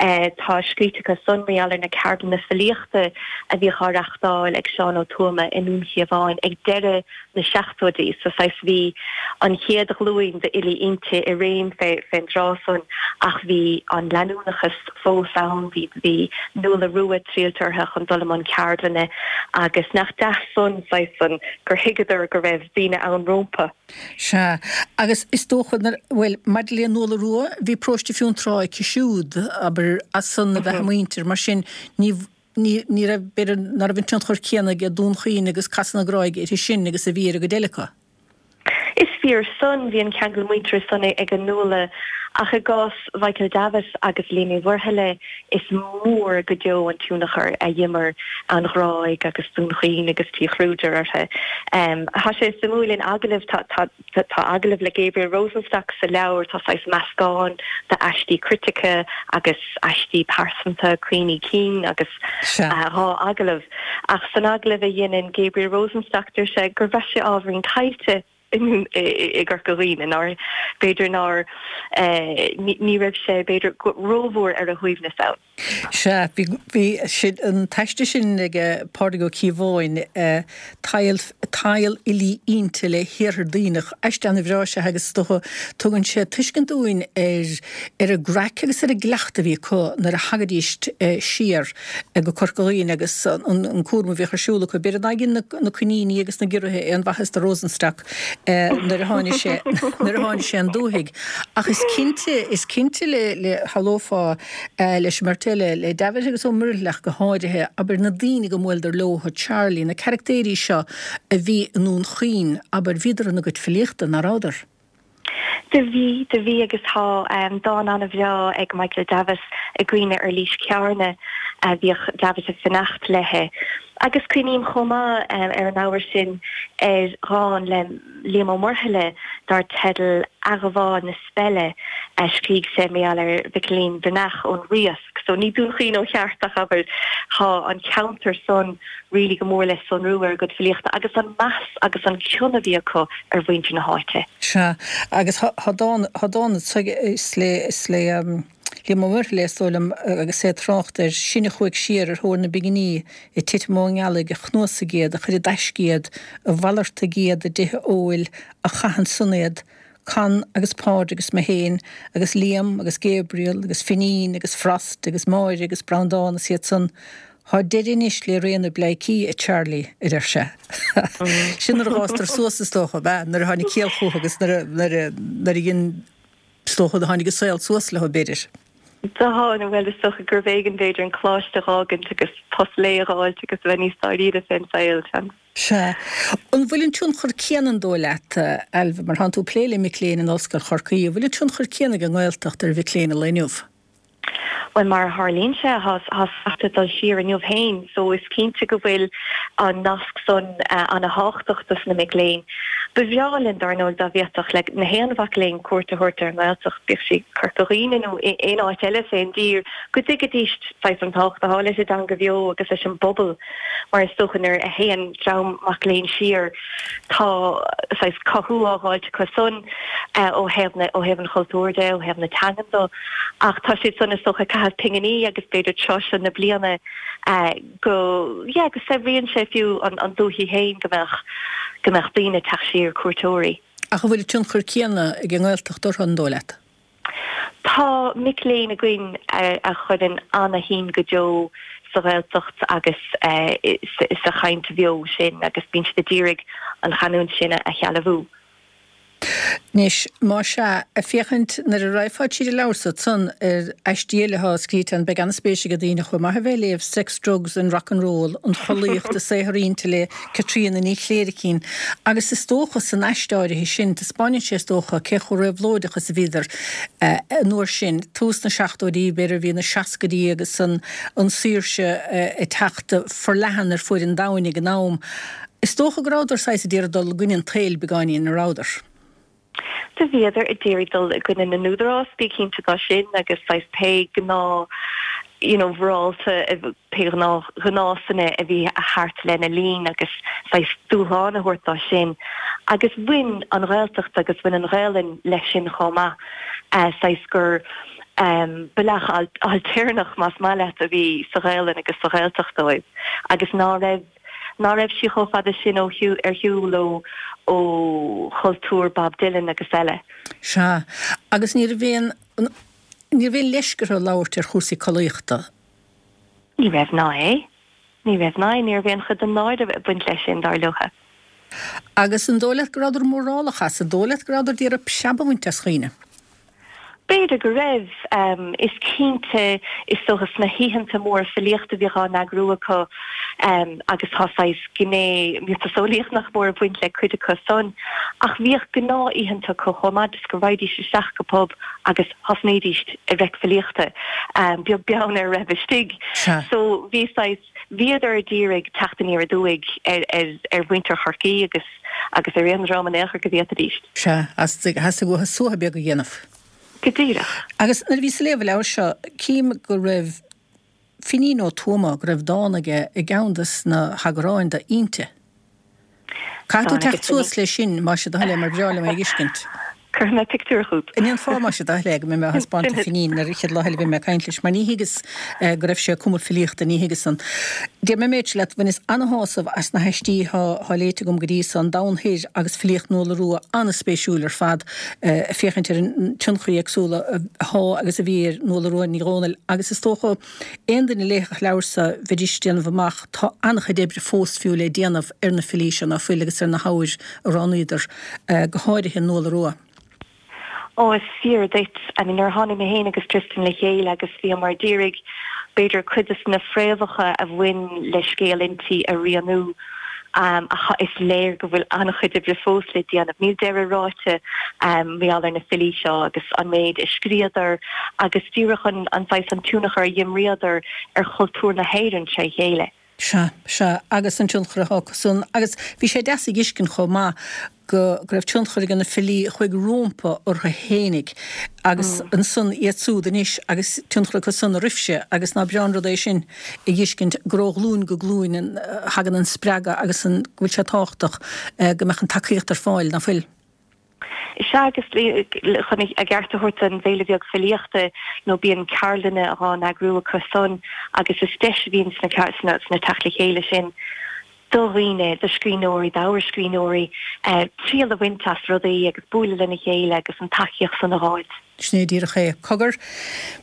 tá scríte acu san mar gheall ar na ceardlanna filíochta a bhíodh á reachtáil ag Seán Ó Tuama i nDún Chíomháin ag deireadh na seachtóidí. So saghas bhí an chéad ghlúin d'fhilí Innti i réim fén dtráth san ach bhí an leanúnachas fós ann, bhí bhí Nuala Rua triailte orthu chun dul i mbun ceardlainne agus nach deas san saghas san gur thuigeadar go raibh daoine daoine ann rómpa. Sea, agus is dócha, bhuel, maidir le Nuala Rua, bhí paróiste Fionntrá aici siúd, abair, as san a bheith a muintir, mar sin ní, ní, ní raibh, b'fhéidir, ná raibh an tionchar céanna ag Dún Chaoin agus Casadh na Gráige uirthi sin agus a bhí ar an gcuid eile acu. Is fíor san, bhí an ceangal muinteartha san ag an Nuala, ach i gcás Mhichael Davitt agus Liam Uí Mhuirthile, is mór go deo an tionchar a d'imir an Ghráig agus Dún Chaoin agus Tigh Chruder orthu. Tá sé suimiúil in agallamh, tá agallamh le Gabriel Rosenstock sa leabhar, tá saghas meascán d'aistí critice agus aistí pearsanta, cuimhní cinn agus dhá agallamh. Ach san agallamh a dhéanann Gabriel Rosenstock deir sé gur bhraith sé ábhairín caillte i gCorca Dhuibhne, nár, b'fhéidir nár, ní raibh sé, b'fhéidir, rómhór ar a shuaimhneas ann. Sea, bhí, bhí sin, an t-aiste sin ag Pádraig Ó Cíobháin, Tadhall, Tadhall Fhilí Innti le hIarthar Duibhneach, aiste ana-bhreá is ea agus is dócha, tugann sé tuiscint dúinn ar, ar an gcraic agus ar an gcleachtadh a bhí acu nuair a thagaidís siar go Corca Dhuibhne agus an, an cúram a bhíodh ar siúl acu. B'fhéidir nár dhein na, na coiníní agus na giorraithe aon mhaitheas do Rosenstock nuair a tháinig sé, nuair a tháinig sé an dúthaigh. Ach is cinnte, is cinnte le, le, shamhlófá leis an mbeirt eile, le Davitt agus Ó Muirthile ach go háirithe, abair, na daoine go mbuaileadar leo, Charlie, na caractéirí seo a bhí i nDún Chaoin, abair, bhíodar ina gcuid filíochta, ná rabhadar? Do bhí, do bhí agus tá dán ana-bhreá ag Michael Davitt i gcuimhne ar Lís Cearna a bhíodh Davitt ag fanacht léi. Agus cuimhním chomh maith ar an ábhar sin ar dhán le Liam Ó Muirthile dar teideal Athghabháil na Speile a scrígh sé mar gheall ar Mhicilín Breathnach ón Riasc. So ní Dún Chaoin ó cheart ach abair tá an ceantar san really go mór le sonrú ar a gcuid filíochta agus an meas agus an cion a bhí acu ar mhuintir na háite. Sea, agus thá dán, thá dán is le, is le Liam Ó Muirthile is dóigh liom agus é ag trácht air sin a chuaigh siar ar thóir na bpinginí ag titim ón ngealaigh, a chnuasaigh iad, a chuir i dtaisce iad, a mhalartaigh iad i dtithe óil, a chaith ansan iad, Con agus Pádraig agus mé féin agus Liam agus Gabriel agus Finín agus Frost agus Máire agus Breandán is iad san. Thá deireadh anois le ré na bpleidhcí, a Charlie, a deir sé. Sin nuair a dh'fhástar suas is dócha, ab ea? Nuair a tháinig ciall chucu agus nuair a, nuair a, nuair a dhein, is dócha, tháinig an saol suas leo, b'fhéidir. Do tháinig, bhuel, is dócha gurbh éigean, b'fhéidir, an coláiste a dh'fhágaint agus post lae a dh'fháilt agus a bheith níos dáiríre fén saol, seans. Sea. An bhfuil an tionchar céanna, an dóigh leat, Ailbhe, mar thánn tú ag plé le mic léinn in Ollscoil Chorcaí, an bhfuil an tionchar céanna ag an nGaeltacht ar mhic léinn an lae inniu? Bhuel, mar a tharlaíonn sé, thá sneachta ag dul siar inniu féin, so is cinnte go bhfuil an nasc san ana-thábhachtach dos na mic léinn. Ba bhreá linn, dar ndóigh, dá bhféadfadh le na haon mhac léinn cuairt a thabhairt ar an nGaeltacht, bíodh sí Corca Dhuibhne nó aon áit eile fén dtír, go dtuigfidís saghas an tábhacht athá leis an dteanga bheo agus leis an bpobal. Mar is dócha nuair a théann dream mac léinn siar tá saghas cothú á dh'fháilt acu san ó thaobh na, ó thaobh an chultúir de, ó thaobh na teangan do ach tá siad san is dócha ag caitheamh pinginí agus b'fhéidir tráth seo na bliana go, yeah, go saibhríonn sé fiú an, an dúthaigh féin go mbeadh, go mbeadh daoine ag teacht siar, cuairteoirí. Ach an bhfuil an tionchar céanna ag an nGaeltacht orthu, an dóigh leat? Tá mic léinn againn a chuireann ana-shuim go deo sa Ghaeltacht agus sa chaint bheo sin agus bíonn siad a d'iarraidh an chanúint sin a shealbhú. Anois, más ea, ag féachaint nuair a raghfá tríd an leabhar so ansan ar aistí eile atá scríte ann, beidh an-spéis ag daoine chomh maith a bheith ag léamh Sex, Drugs and Rock and Roll, An Chollaíocht i Saothar Innti le Caitríona Ní Chléirchín. Agus is dócha san aiste áirithe sin, taispeáineann sé is dócha cé chomh réabhlóideach is a bhíodar an uair sin, tús na seachtóidí, b'fhéidir, bhí na seascaidí agus an saoirse ag teacht forleathan ar fuaid an domhain ag an am. Is dócha go rabhadar saghas ag iarraidh dul i gcoinne an tsaoil beagáinín, an rabhadar? Do bhíodar ag d'iarraidh dul i gcoinne na n-údarás, bí cinnte dá sin, agus saghas pé gnáth you know mhorálta, pé gnáth ghnásanna a bhí thart lena linn agus saghas dúshlán a thabhairt dá sin. Agus bhain an Ghaeltacht agus bhain an Ghaelainn leis sin chomh maith, saghas gur bealach ailtéarnach, más maith leat, a bhí sa Ghaelainn agus sa Ghaeltacht dóibh agus ná raibh ná raibh sí chomh fada sin ó ar shiúl ó ó chultúr Bob Dylan agus eile. Sea, agus ní raibh aon ní raibh aon leisce orthu labhairt ar chúrsaí collaíochta. Ní raibh ná é. Ní raibh ná é. Ní raibh aon chuid den náire ag baint leis sin, dar leotha. Agus an dóigh leat go rabhadar mórálach as, an dóigh leat go rabhadar d'iarraidh preab a bhaint as dhaoine? B'fhéidir go raibh. Is cinnte, is dócha, sna hoícheanta móra filíochta a bhíodh á n-eagrú acu agus tá saghas gné miotaseolaíoch nach mór ag baint le cuid acu san. Ach bhíodh gnáth-oícheanta acu chomh maith, just go raghaidís isteach go pub agus thosnaídís ag reic filíochta, beag beann ar a raibh istigh. So bhí saghas, bhíodar ag iarraidh teacht aniar aduaidh ar ar mhuintir Chorcaí agus agus ar aon dream in aon chor go bhféadfaidís. Sea, theastaigh uathu suaitheadh beag a dhéanamh. Go díreach. Agus nuair a bhíos ag léamh an leabhair seo, cím go raibh Finín Ó Tuama, go raibh dán aige i gceann de na heagráin de Innti. Caithfidh tú teacht suas leis sin, más é do thoil é, mar ba bhreá liom é a fheiscint. Cuirfidh mé pictiúr chugat. An ndéanfá, más é do thoil é, go mbeidh mé á thaispeáint do Finín nuair an chéad lá eile a bheidh mé ag caint leis, mar ní thuigeas go raibh sé ag cumadh filíochta, ní thuigeas san. Déarfaidh mé an méid seo leat, bhaineas ana-shásamh as na haistí atá léite agam go dtí so, An Domhan Thoir agus Filíocht Nuala Rua, an-spéisiúil ar fad, ag féachaint ar an tionchar éagsúla atá agus a bhí ar Nuala Rua Ní Dhomhnaill agus is dócha aon duine a léifeadh an leabhar so bheidís ag déanamh amach tá an-chuid oibre fós fiú le déanamh ar na filí seo ná fuil agus ar na hábhair a roghnaíodar, go háirithe Nuala Rua. Ó, is fíor duit. I mean, nuair a tháinig mé féin agus Tristan le chéile agus bhíomar d'iarraidh b'fhéidir cuid de na fréamhacha a bhain le scéal Innti a rianú, ach is léir go bhfuil an-chuid oibre fós le déanamh. Níl deireadh ráite mar gheall ar na filí seo agus an méid a scríodar agus díreach an saghas an tionchar a dh'imríodar ar chultúr na hÉireann tré chéile. Sea, sea, agus an tionchar atá acu san. Agus bhí sé deas a dh'fheiscint chomh maith go go raibh tionchar ag na filí a chuaigh rómpa orthu fhéinig agus ansan iad súd anois agus tionchar acu san oraibhse agus ná breá an rud é sin a dh'fheiscint gur ó ghlúin go glúin a thagann an spreagadh agus an go bhfuil sé tábhachtach go mbeadh an tacaíocht ar fáil, ná fuil? Sea, agus chun a gceart a thabhairt don bhFéile Bheag Filíochta, nó bíonn ceardlanna dhá n-eagrú acu san agus is deis a bhíonn sna sna teacht le chéile sin do dhaoine, do scríbhneoirí, d'ábhar scríbhneoirí, triail a bhaint as rudaí agus bualadh lena chéile agus an tacaíocht san a dh'fháilt. Sin é díreach é. Cogar,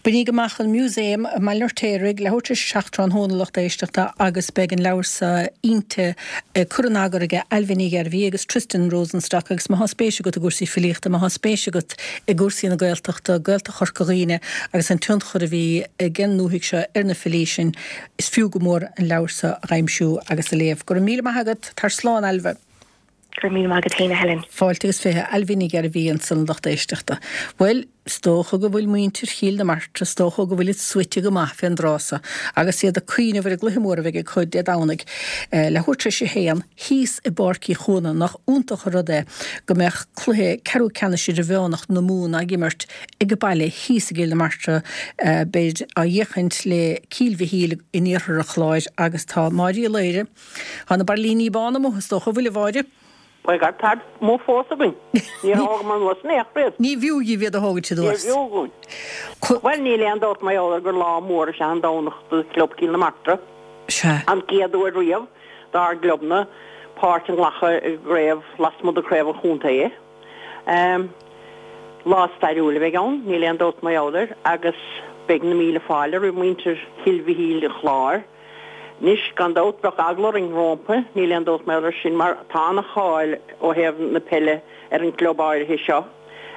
bainíg amach an Músaem i mBaile an Fheirtéaraigh, leathuair tar éis a seacht tráthnóna, a lucht éisteachta, agus beidh an leabhar so, Innti, curtha in eagar aige Ailbhe Ní Ghairbhí agus Tristan Rosenstock agus má thá spéis agat i gcúrsaí filíochta, má thá spéis agat i gcúrsaí na Gaeltachta, Gaeltacht Chorca Dhuibhne agus an tionchar a bhí ag an ndúthaigh seo ar na filí sin, is fiú go mór an leabhar so a dh'aimsiú agus a léamh. Go raibh míle maith agat. Tar slán, Ailbhe. Go raibh míle maith agat féin, a Helen. Fáilte agus fiche, Ailbhe Ní Ghairbhí ansan, lucht éisteachta. Bhuel, is dócha go bhfuil muintir Chill na Martra, is dócha go bhfuilid suite go maith fén dtráth so agus iad ag cuimhneamh ar an gcluiche mór a bheidh acu Dé Domhnaigh, leathuair tar éis a haon, thíos i bPáirc Uí Chuana. Nach iontach an rud é go mbeadh cluiche ceathrú ceannais idirmheánach na Mumhan á imirt ag baile thíos i gCill na Martra. Beid á fhéachaint le Cill Mhichíl in iarthar an Chláir agus tá Máire Uí Laoire, Tá na bairillíní bána amuigh, is dócha, an bhfuil, a Mháire? Bhuel, táid amuigh fós againn. Níor thógamar anuas in aon chor iad. Ní bhfiú dhaoibh iad a thógaint anuas. Ní bhfiú dhúinn. Bhuel, níl aon dabht mar gheall air gur lá mór is ea an Domhnach do Chlub Chill na Martra. Sea. An chéad uair riamh dár gclubna páirt a nglacadh i gcraobh lasmuigh de chraobh an chontae. Lá stairiúil a bheidh ann, níl aon dabht mar gheall air, agus beidh na míle fáilte roimh mhuintir Chill Mhichíl an Chláir. Anois, gan dabht, bheadh eagla orainn rómpa, níl aon dabht mar gheall air sin, mar tá ana-cháil ó thaobh na peile ar an gclub áirithe seo.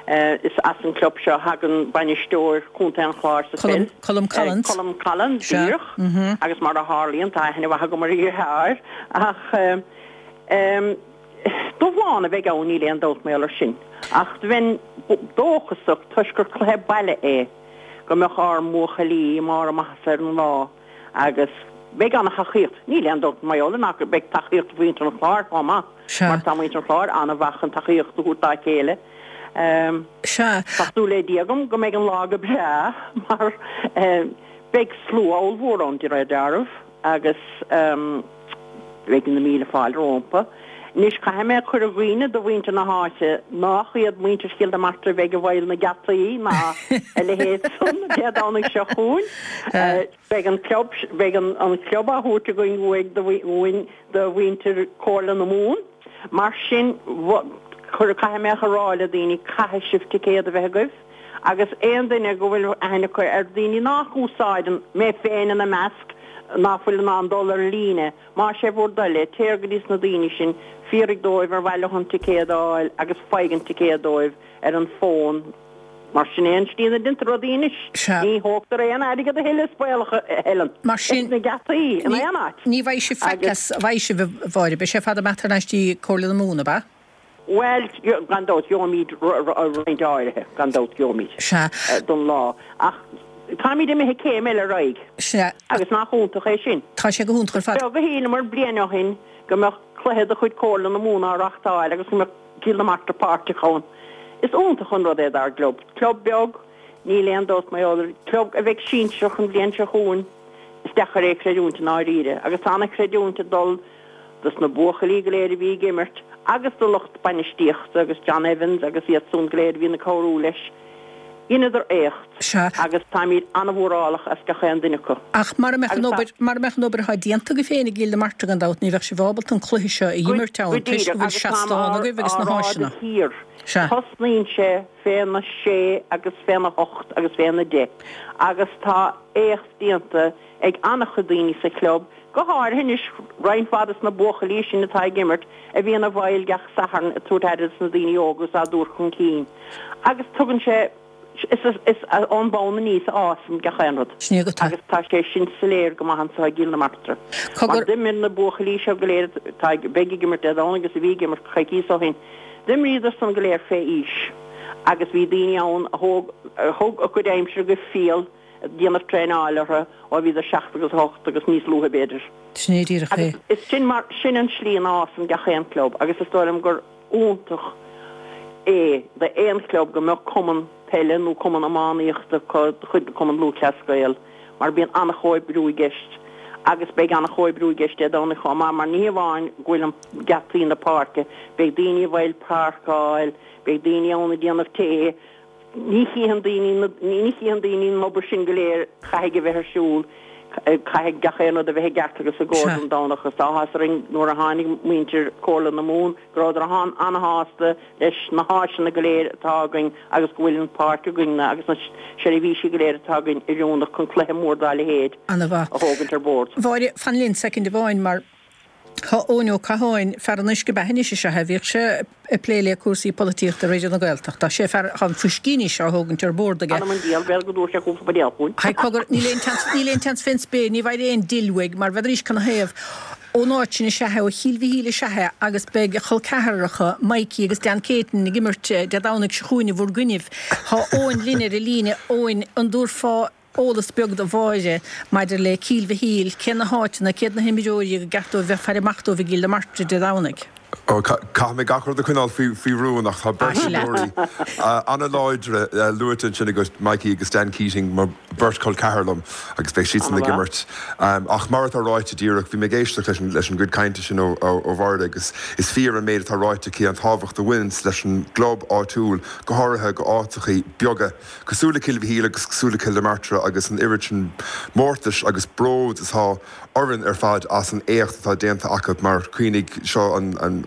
Is as an gclub seo a thagann bainisteoir Chontae an Chláir sa pheil, Colm Collins. Colm Collins, díreach, agus mar a tharlaíonn, tá aithne mhaith agam ar a dheartháir. Ach dúshlán a bheidh ann, níl aon dabht mar gheall air sin. Ach bheinn dóchasach, toisc gur cluiche baile é, go mbeadh ár mbuachaillí i mbarr a maitheasa ar an lá. Agus beidh ana-thacaíocht, níl aon dabht mar gheall air nach beidh tacaíocht mhuintir an Chláir chomh maith, Sea. mar tá muintir an Chláir ana-mhaith chun tacaíocht a thabhairt dá chéile. Sea. Tá súil le Dia agam go mbeidh an lá go breá mar beidh slua ollmhór ann de réir dealraimh agus beidh na míle fáilte rómpa. Anois caithfidh mé a chur i gcuimhne do mhuintir na háite nách iad muintir Chill na Martra a bheidh i bhfeighil na geataí ná a leithéid san Dé Domhnaigh seo chugainn. Beidh an club, beidh an an club á thabhairt againn uaidh do uainn do mhuintir Comhairle na Mumhan. Mar sin, chuir, caithfidh mé a rá le daoine, caithfidh sibh ticéad a bheith agaibh agus aon duine go bhfuil aithne acu ar daoine nách úsáideann, mé féin ina measc, ná fuil in ann dul ar líne, más é bhur dtoil é, téir go dtí na daoine sin, fiafraigh dóibh ar mhaith leo an ticéad a fháil agus faigh an ticéad dóibh ar an bhfón. Mar sin é an tslí ina ndéantar rudaí anois. Sea. Ní thógtar aon airgead a thuilleadh is baolach, a Helen. Mar sin. Ins na geataí, in aon áit. Ní bheidh sibh faic as, bheidh sibh, a Mháire, beidh sé fada amach thar n-ais dtí Comhairle na Mumhan, ab ea? Bhuel, gan dabht, gheobhaimid roinnt áirithe, gan dabht, gheobhaimid. Sea. Don lá. Ach táimid imithe céim eile ar aghaidh. Sea. Agus nach iontach é sin? Tá sé go hiontach ar fad. Beag a shíleamar bliain ó shin go mbeadh cluiche de chuid Comhairle na Mumhan á reachtáil agus go mbeadh Cill na Martra páirteach ann. Is iontach an rud é dár gclub. Club beag, níl aon dabht mar gheall air, club a bheidh sinsearach an bhliain seo chugainn. Is deacair é a chreidiúint i ndáiríre. Agus tá an-chreidiúint ag dul dos na buachaillí go léir a bhí ag imirt agus do lucht bainistíochta agus John Evans agus iad san go léir a bhíonn ag cabhrú leis. Dheineadar éacht Sea. agus táimid an-mhórálach as gach aon duine acu. Ach mara mbeadh an Agus tá. obair, mara mbeadh an obair atá déanta agaibh féin i gCill na Martra gan dabht ní bheadh sibh ábalta an cluiche seo a Go, imirt go ann toisc díreach go bhfuil agus táim seastán á, agaibh á agus na rá de háiseanna. shíor. Sea. Tosnaíonn sé féna sé agus féna hocht agus féna deich agus tá éacht déanta ag an-chuid daoine sa chlub, go háirithe anois roinnt mhaith dos na buachaillí sin atá ag imirt, a bhíonn i bhfeighil gach Satharn ag tabhairt aire dos na daoine óga is á dtabhairt chun cinn. Agus tugann sé, is, is ón mbonn aníos a fhásann gach aon rud. Sin é go. Agus tá sé sin soiléir go maith anso i gCill na Martra. Mar Cogar. d'imir na buachaillí seo go léir atá ag, beidh ag imirt Dé Domhnaigh agus a bhí ag imirt coicíos ó shin, d'imríodar san go léir fé aois agus bhí daoine ann a thóg, a thug a gcuid aimsire go fial ag déanamh traenáil orthu ó bhíodar seacht agus ocht agus níos luaithe b'fhéidir. Sin é díreach é. Agus is sin mar, sin an slí ina fhásann gach aon club agus is dóigh liom gur iontach é d'aon chlub go mbeadh cumann peile nó cumann iománaíochta acu de chuid Cumann Lúthchleas Gael mar bíonn an-chomhoibriú i gceist agus beidh an-chomhoibriú i gceist Dé Domhnaigh chomh maith mar ní hamháin go bhfuil an geataí na páirce, beidh daoine i bhfeighil páirceáil, beidh daoine ann ag déanamh tae, Ní chífeann daoine, ní chífeann daoine an obair sin go léir, caithfidh a bheith ar siúl, caithfidh gach aon rud a bheith i gceart agus i gcóir Sea. don Domhnach agus tá áthas orainn nuair a tháinig muintir Comhairle na Mumhan go rabhadar an-shásta leis na háiseanna go léir atá againn agus go bhfuil an pháirc againn agus na seirbhísí go léir atá againn oiriúnach chun cluiche mór dá leithéid Ana-mhaith. a thógaint ar bord. Mháire, fan linn soicind amháin mar Tá Eoin Ó Catháin, fear an uisce beatha anois is ea é, bhíodh sé ag plé le cúrsaí polaitíochta Raidió na Gaeltachta. Tá sé fear, tá an fuiscí anois á thógaint ar bord aige. Anam an diabhal, b'fhéidir go dtabharfaidh sé cúpla buidéal chugainn. Haigh cogar, níl aon tseans, níl aon tseans fén spéir, ní bhfaighir aon deal uaidh, mar bheadh cana thaobh ón áit sin is ea é, ó Chill Mhichíl is ea é, agus beidh a chol ceathracha, Mikey agus Dan Keating ag imirt Dé Domhnaigh seo chugainn i bhur gcoinnibh. Tá Eoin linn ar an líne. Eoin, an dtabharfá eolas beag do Mháire maidir le Cill Mhichíl, cé na háiteanna, céad na himreoirí go gceart dóibh bheith ag faire amach dóibh i gCill na Martra Dé Domhnaigh? Ó, caithfidh mé gach rud a choinneáil faoi rún ach tá beirt imreoirí an-láidre luaite ansin agat, Mikey agus Dan Keating, mar beirt chol ceathar liom agus beidh siadsan ag imirt. Ach mar atá ráite díreach, bhí mé ag éisteacht leis an gcuid cainte sin ó Mháire agus is fíor an méid atá ráite aici, an tábhacht a bhaineanns leis an gclub áitiúil, go háirithe go áiteachaí beaga. Cosúil le Cill Mhichíl agus cosúil le Cill na Martra agus an oiread sin mórtais agus bród atá orainn ar fad as an éacht atá déanta acu mar cuimhnigh seo an an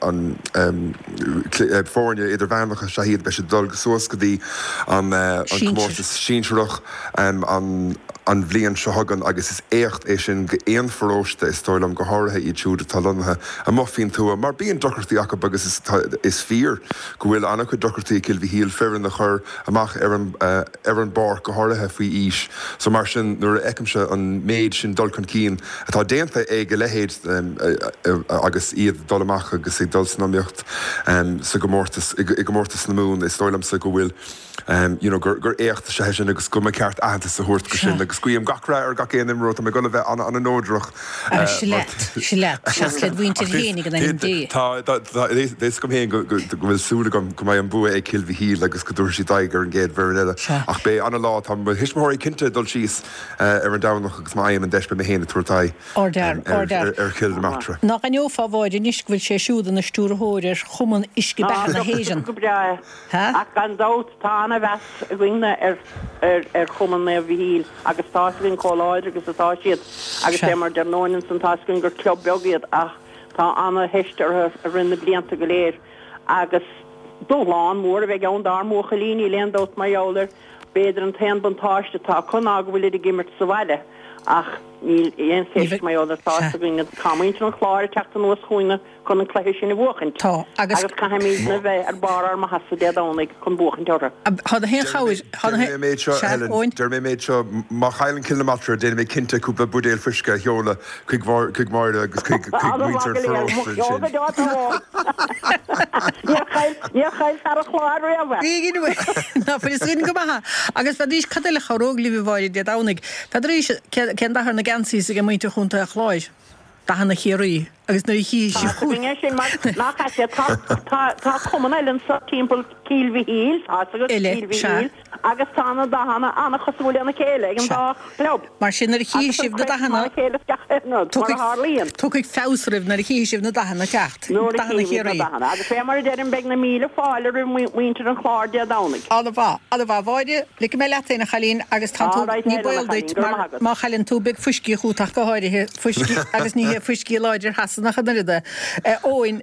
foirne idirmheánacha is ea iad beidh siad ag dul suas go dtí an comórtas sinsearach an an bhliain seo chugainn agus is éacht é sin go aon pharóiste is dóigh liom go háirithe iad siúd atá lonnaithe amuigh faoin tuath mar bíonn deacrachtaí acu agus is is fíor go bhfuil an-chuid deacrachtaí ag Cill Mhichíl foireann a chur amach ar an ar an bpáirc, go háirithe faoi aois. So mar sin nuair a fheicimse an méid sin dul chun cinn atá déanta ag a leithéid agus iad ag dul amach agus ag dul san iomaíocht sa gcomórtas i gcomórtas na Mumhan, is dóigh liomsa go bhfuil you know gur gur éacht is ea é sin agus go mba ceart aitheantas a thabhairt go sin agus guím gach rath ar gach aon imreoir, tá mé ag dul a bheith an-an-neodrach. Sea leat, sea leat, seas led mhuintir fhéinig in ainm Dé. Tá tá tá fhios agam féin go go bhfuil súil agam go mbeidh an bua ag Cill Mhichíl agus go dtabharfaidh siad aghaidh ar an gcéad bhfoireann eile. Ach beidh ana-lá, tá mo thuismitheoirí cinnte ag dul síos ar an Domhnach agus má fhaighim an deis beidh mé féin ag tabhairt aghaidh ar Chill na Martra. Nach aithneofá a Mháire anois go bhfuil sé siúd ina stiúrthóir ar Chumann Uisce Beatha na hÉireann. Go breá é. Ach gan dabht tá ana-mheas againne ar ar Chumann Naomh Mhichíl agus tá 'fhios againn chomh láidir agus atá siad agus é mar deir Eoin ansan tá 'fhios againn gur club beag iad ach tá ana-theist orthu i rith na blianta go léir agus dúshlán mór a bheidh ann dár mbuachaillí, níl aon dabht mar gheall air. B'fhéidir an t-aon buntáiste atá acu ná go bhfuilid ag imirt sa bhaile ach Níl aon cheist mar gheall air, tá fhios againn tá muintir an Chláir ag teacht anuas chugainne chun an cluiche sin a bhuachaint. Tá, agus. Agus caithfimid a bheith ar barr ár maitheasa Dé Domhnaigh chun buachaint orthu. Tá na haon chabhair, tá na Déarfaidh mé an méid seo, Sea, Helen, Eoin. déarfaidh mé an méid seo, má chailleann Cill na Martra, déanfaidh mé cinnte cúpla buidéal fuisce a sheoladh chuig chuig Máire agus chuig chuig An-mhaith muintir go an leor, mo pharóiste cheol go ansin. deo tá Eoin. Níor chaill, níor chaill fear an Chláir riamh é. Bhí, ná fuil fhios againn go maith é. Agus bheidís, cad eile a chabhródh libh a Mháire Dé Domhnaigh? Bheidís, cén dath ar na geansaí ag muintir Chontae an Chláir? Dathanna Chiarraí. Agus nuair a chífidh Tá sibh fhios againn é sin mar nach ait é, tá, tá, tá cumann eile anso timpeall Cill Mhichíl, tá fhios agat, Eile, Cill sea. Mhichíl, agus tá na dathanna an-chosúil lena chéile ag an Sea. dá chlub. Mar sin nuair a chífidh Agus an sibh na craic mar dathanna, a chéile is gach aon rud, mar a tiocfaidh, tharlaíonn. tiocfaidh feabhas oraibh nuair a chífidh sibh na dathanna ag teacht, Nuair a dathanna chífimid na Chiarraí. dathanna. Agus fé mar a deirim, beidh na míle fáilte roimh mhuintir an Chláir Dé Domhnaigh. An-mhaith, an-mhaith. A Mháire, ligfidh mé leat féin, a chailín, agus tá tú, All right, ní Helen, a baol duit, chailín, go raibh mar maith agat. má chailleann tú, beidh fuiscí chugat ach go háirithe, fuiscí, agus ní hé fuiscí láidir Shasanach an oiread é. Eoin,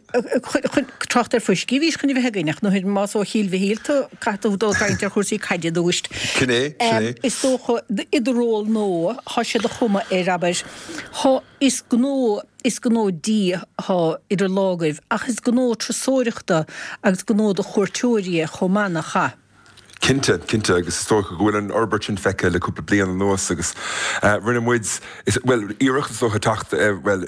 trácht ar fuiscí, bhís chun a bheith againn, ach nuair más ó Chill Mhichíl tú, caithfidh tú dul ag caint ar chúrsaí caide dúist. Sin é, sin é. Is dócha, i do ról nua, thá sé de chuma air, abair, thá, is gnó, is gnó dí thá idir lámhaibh, ach is gnó turasóireachta agus gnó do chuairteoirí é chomh maith, nach ea? Cinnte, cinnte, agus is dócha go bhfuil an fhorbairt sin feicthe le cúpla bliain anuas agus rinne muid, bhuel, iarracht is dócha teacht, bhuel,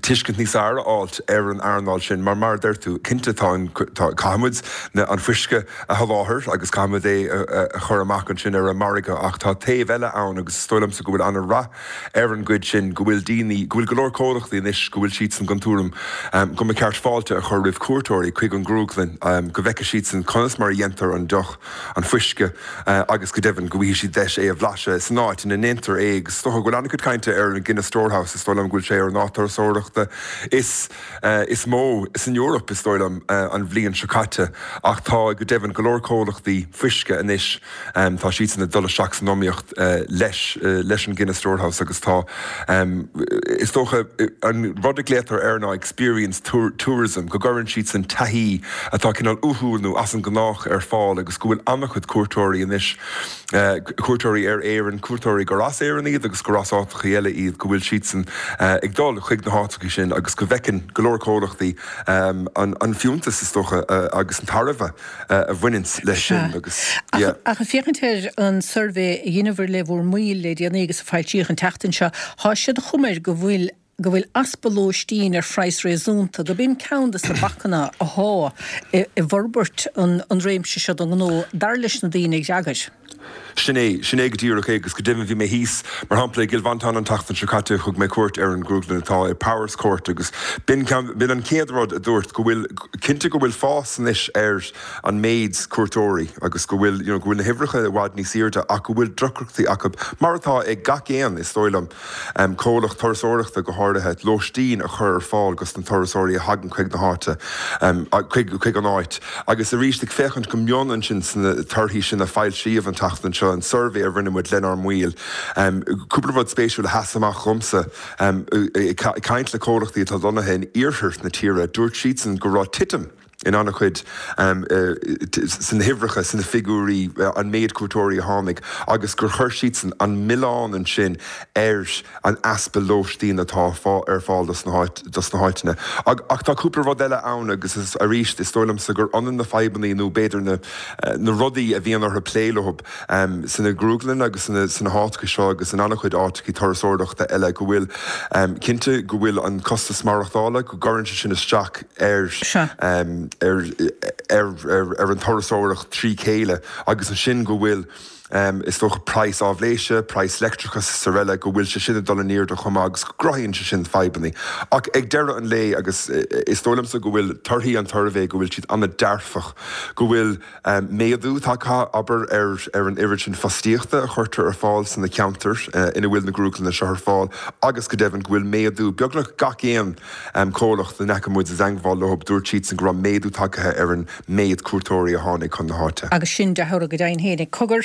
tuiscint níos fearr a fháilt ar an earnáil sin mar mar a deir tú, cinnte tá an, tá, caithfidh muid na, an fuisce a sholáthar agus caithfidh muid é a chur amach ansin ar an margadh ach tá taobh eile ann agus is dóigh liomsa go bhfuil an-rath ar an gcuid sin, go bhfuil daoine, go bhfuil go leor comhlachtaí anois go bhfuil siadsan den tuairim go mba cheart fáilte a chur roimh cuairteoirí chuig an ngrúglann, go bhfeicfidh siadsan conas mar a dhéantar an deoch, an fuisce agus go deimhin go bhfaighidh siad deis é a bhlaiseadh san áit ina ndéantar é agus is dócha go bhfuil an-chuid cainte ar an Guinness Storehouse, is dóigh liom go bhfuil sé ar an áit turasóireachta is is mó san Eoraip is dóigh liom an bhliain seo caite ach tá go deimhin go leor comhlachtaí fuisce anois tá siadsan ag dul isteach san iomaíocht leis leis an Guinness Storehouse agus tá is dócha an rud a glaotar air ná experience tourism go gcuireann siadsan taithí atá cineál uathúil nó as an ngnách ar fáil agus go bhfuil an-chuid cuairteoirí anois, cuairteoirí ar Éirinn, cuairteoirí gur as Éirinn iad agus gur as áiteachaí eile iad, go bhfuil siadsan ag dul chuig na háiteachaí sin agus go bhfeiceann go leor comhlachtaí an fiúntas is dócha agus an tairbhe a bhaineanns leis sin agus yeah. Ach ag féachaint ar an suirbhé a dheineabhair le bhur mbaill le déanaí agus a foilsíodh an tseachtain seo, thá sé de chuma air go bhfuil go bhfuil easpa lóistín ar phraghas réasúnta, gurb in ceann de na bacanna athá i bhforbairt an réimse seo den ghnó, dar leis na daoine a d'fhreagair. Sin é, sin é go díreach é agus go deimhin bhí mé thíos, mar shampla, i gCill Mhantáin an tseachtain seo caite, thug mé cuairt ar an ngrúglann atá i Powerscourt agus b'in ceann, b'in an chéad rud a dúirt, go bhfuil, cinnte go bhfuil fás anois ar an méid cuairteoirí agus go bhfuil, you know, go bhfuil na huimhreacha i bhfad níos airde ach go bhfuil deacrachtaí acu, mar atá ag gach aon, is dóigh liom, comhlacht turasóireachta go háirithe, lóistín a chur ar fáil dos na turasóirí a thagann chuig na háite, chuig an áit. Agus arís, ag féachaint go mion ansin sna torthaí sin a foilsíodh an tseachtain seo, an suirbhé a rinne muid lenár mbaill, cúpla rud spéisiúil a sheas amach dhomsa, ag caint le comhlachtaí atá lonnaithe in iarthar na tíre, dúirt siadsan go raibh titim in an-chuid sna huimhreacha, sna figiúirí, an méid cuairteoirí a tháinig agus gur chuir siadsan an milleán ansin ar an easpa lóistín atá ar fáil dos na háiteanna. Ach tá cúpla rud eile ann agus arís is dóigh liomsa gur ionann na fadhbanna nó b'fhéidir na rudaí a bhíonn orthu plé leo sna grúglanna agus sna háiteacha seo agus in an-chuid áiteacha turasóireachta eile go bhfuil cinnte go bhfuil an costas maireachtála, go gcuireann sé sin isteach ar ar ar an turasóireacht trí chéile agus ansin go bhfuil is dócha praghas áibhléise, praghas leictreachais is araile go bhfuil sé sin ag dul in airde chomh maith agus go gcruthaíonn sé sin fadhbanna. Ach ag deireadh an lae agus is dóigh liomsa go bhfuil torthaí an tsuirbhé go bhfuil siad an-dearfach, go bhfuil méadú tagtha, abair, ar ar an oiread sin fostaíochta a chuirtear ar fáil sna ceantair ina bhfuil na grúglanna seo ar fáil agus go deimhin go bhfuil méadú beagnach gach aon comhlacht a ndeachaigh muid i dteangmháil leo, dúirt siadsan go raibh méadú tagtha ar an méid cuairteoirí a tháinig chun na háite. Agus sin dea-thoradh go deimhin féin. Cogar,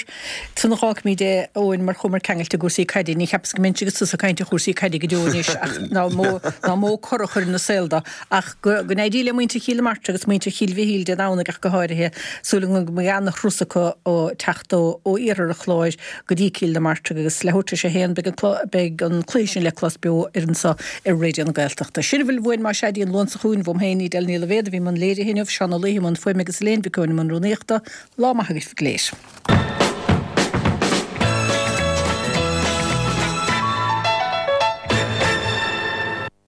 Sula bhfágfaimid é, Eoin, mar chuamar ceangailte i gcúrsaí caide, ní cheapas go mbeinnse agus tusa ag caint ar chúrsaí caide go deo anois ach ná mó ná mó cor a chur ina saol dó. Ach go go n-éirí le muintir Chill na Martra agus muintir Chill Mhichíl Dé Domhnaigh ach go háirithe, súil agam go mbeidh ana-thuras acu ó teacht ó ó iarthar an Chláir go dtí Cill na Martra agus leathuair tar éis a haon beidh an beidh an cluiche sin le clos beo ar anso ar Raidió na Gaeltachta. Sin a bhfuil uainn más ea go dtí an Luan seo chugainn, uaim féin, Edel Ní Loibhéad a bhí i mbun léirithe inniu, Seán Ó Laoithe i mbun fuaime agus Elaine Mhic Eoin i mbun rúnaíochta. Lá maith agaibh go léir.